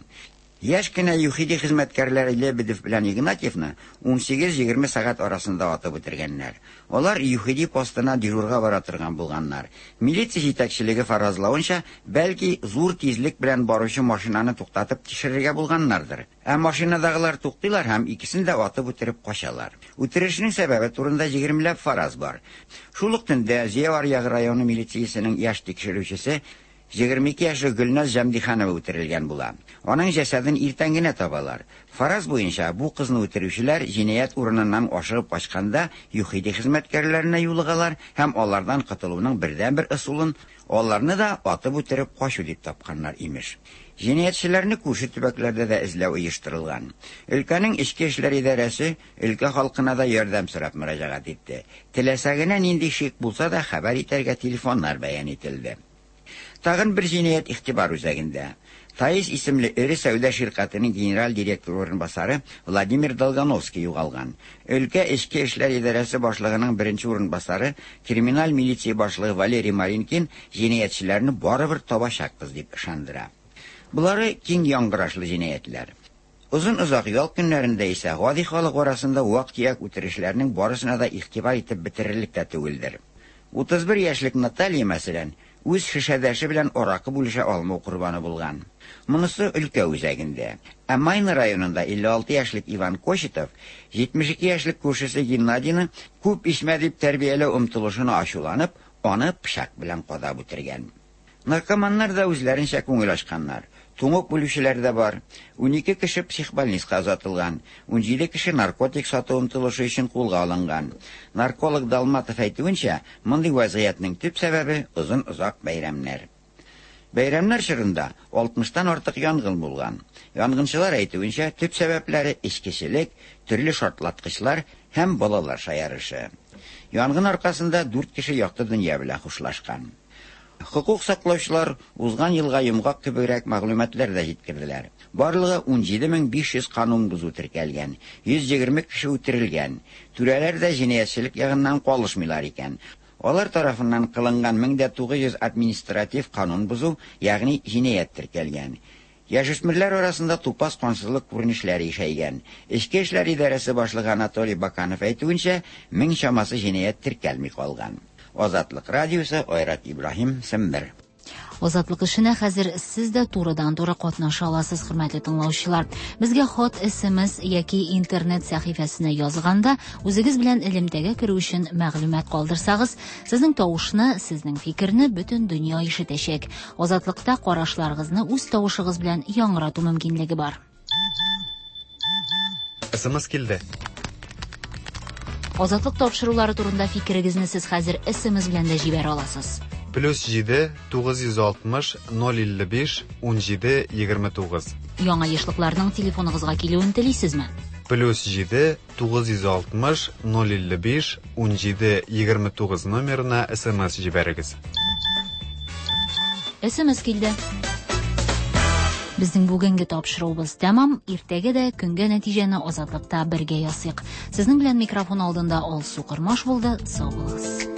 Speaker 15: Яшь кенә ЮХИДИ хезмәткәрләре Лебедев белән Игнатьевны ун сигез-егерме сәгать арасында атып үтергәннәр. Алар ЮХИДИ постына дежурга бара торган булганнар. Милиция җитәкчелеге фаразлавынча, бәлки зур тизлек белән баручы машинаны туктатып тикшерергә булганнардыр. Ә машинадагылар туктыйлар һәм икесен дә атып үтереп качалар. Үтерешнең сәбәбе турында егермеләп фараз бар. Шул ук төндә Зөя аръягы районы милициясенең яшь тикшерүчесе егерме ике яшьлек Гөлназ Җәмдиханова үтерелгән була. Аның җәсәден иртән генә табалар. Фараз буенча бу кызны үтерүчеләр җинаять урыныннан ашыгып качканда ЮХИДИ хезмәткәрләренә юлыгалар һәм алардан котылуның бердәнбер ысулын аларны да атып үтереп качу дип тапканнар имеш. Җинаятьчеләрне күрше төбәкләрдә дә эзләү оештырылган. Өлкәнең эчке эшләр идарәсе өлкә халкына да ярдәм сорап мөрәҗәгать итте. Теләсә генә нинди шик булса да хәбәр итәргә телефоннар бәян ителде. Тагын бер җинаять игътибар үзәгендә. Таис исемле эре сәүдә ширкәтенең генераль директоры урынбасары Владимир Долгановский югалган. Өлкә эчке эшләр идарәсе башлыгының беренче урынбасары, криминаль милиция башлыгы Валерий Маринкин җинаятьчеләрне барыбер табачакбыз дип ышандыра. Булары киң яңгырашлы җинаятьләр. Озын-озак ял көннәрендә исә гади халык арасында вак-төяк үтерешләрнең барысына да игътибар итеп бетерерлек тә түгелдер. Утыз бер яшьлек Наталья, мәсәлән, үз шешәдәше белән аракы бүлешә алмау корбаны булган. Монысы өлкә үзәгендә. Ә Майна районында илле алты яшьлек Иван Кочетов җитмеш ике яшьлек күршесе Геннадийны күп исмә дип тәрбияләү омтылышына ачуланып, аны пычак белән кадап үтергән. Наркоманнар да үзләренчә күңел ачканнар. Туңып үлүчеләр дә бар. Ун ике кеше психбольницага озатылган, ун җиде кеше наркотик сату омтылышы өчен кулга алынган. Нарколог Далматов әйтүенчә, мондый вазгыятьнең төп сәбәбе озын-озак бәйрәмнәр. Бәйрәмнәр чорында алтмыштан артык янгын булган. Янгынчылар әйтүенчә, төп сәбәпләре эчкечелек, төрле шартлаткычлар һәм балалар шаярышы. Янгын аркасында дүрт кеше якты дөнья белән хушлашкан. Хукук саклаучылар узган елга йомгак кебегрәк мәгълүматлар да җиткерделәр. Барлыгы ун җиде мең биш йөз канун бозу теркәлгән, йөз егерме кеше үтерелгән. Түрәләр дә җинаятьчелек ягыннан калышмыйлар икән. Алар тарафыннан кылынган мең дә тугыз йөз административ канун бозу, ягъни җинаять теркәлгән. Яшүсмерләр арасында тупас кансызлык күренешләре ишәйгән. Эчке эшләр идарәсе башлыгы Анатолий Баканов әйтүенчә, мең чамасы җинаять теркәлми калган. Азатлык радиосы, Айрат Ибраһим, Сембер.
Speaker 2: Азатлык эшенә хәзер сез дә турыдан-туры катнаша аласыз, хөрмәтле тыңлаучылар. Безгә хат, С М С яки интернет сәхифәсенә язганда үзегез белән элемтәгә керү өчен мәгълүмат калдырсагыз, сезнең тавышны, сезнең фикерне бөтен дөнья ишетәчәк. Азатлыкта карашларыгызны үз тавышыгыз белән яңгырату мөмкинлеге бар.
Speaker 3: С М С килде.
Speaker 2: Азатлык тапшырулары турында фикерегезне сез хәзер С М С белән дә җибәрә аласыз.
Speaker 3: Плюс җиде тугыз йөз алтмыш ноль илле биш унҗиде егерме тугыз.
Speaker 2: Яңа ешлыкларның телефоныгызга килүен телисезме?
Speaker 3: Плюс җиде тугыз йөз алтмыш ноль илле биш унҗиде егерме тугыз номерына С М С җибәрегез.
Speaker 2: С М С килде. Безнең бүгенге тапшыруыбыз тәмам. Иртәгә дә көнгә нәтиҗәне Азатлыкта бергә ясыйк. Сезнең белән микрофон алдында Алсу Кормаш булды. Сау булыгыз.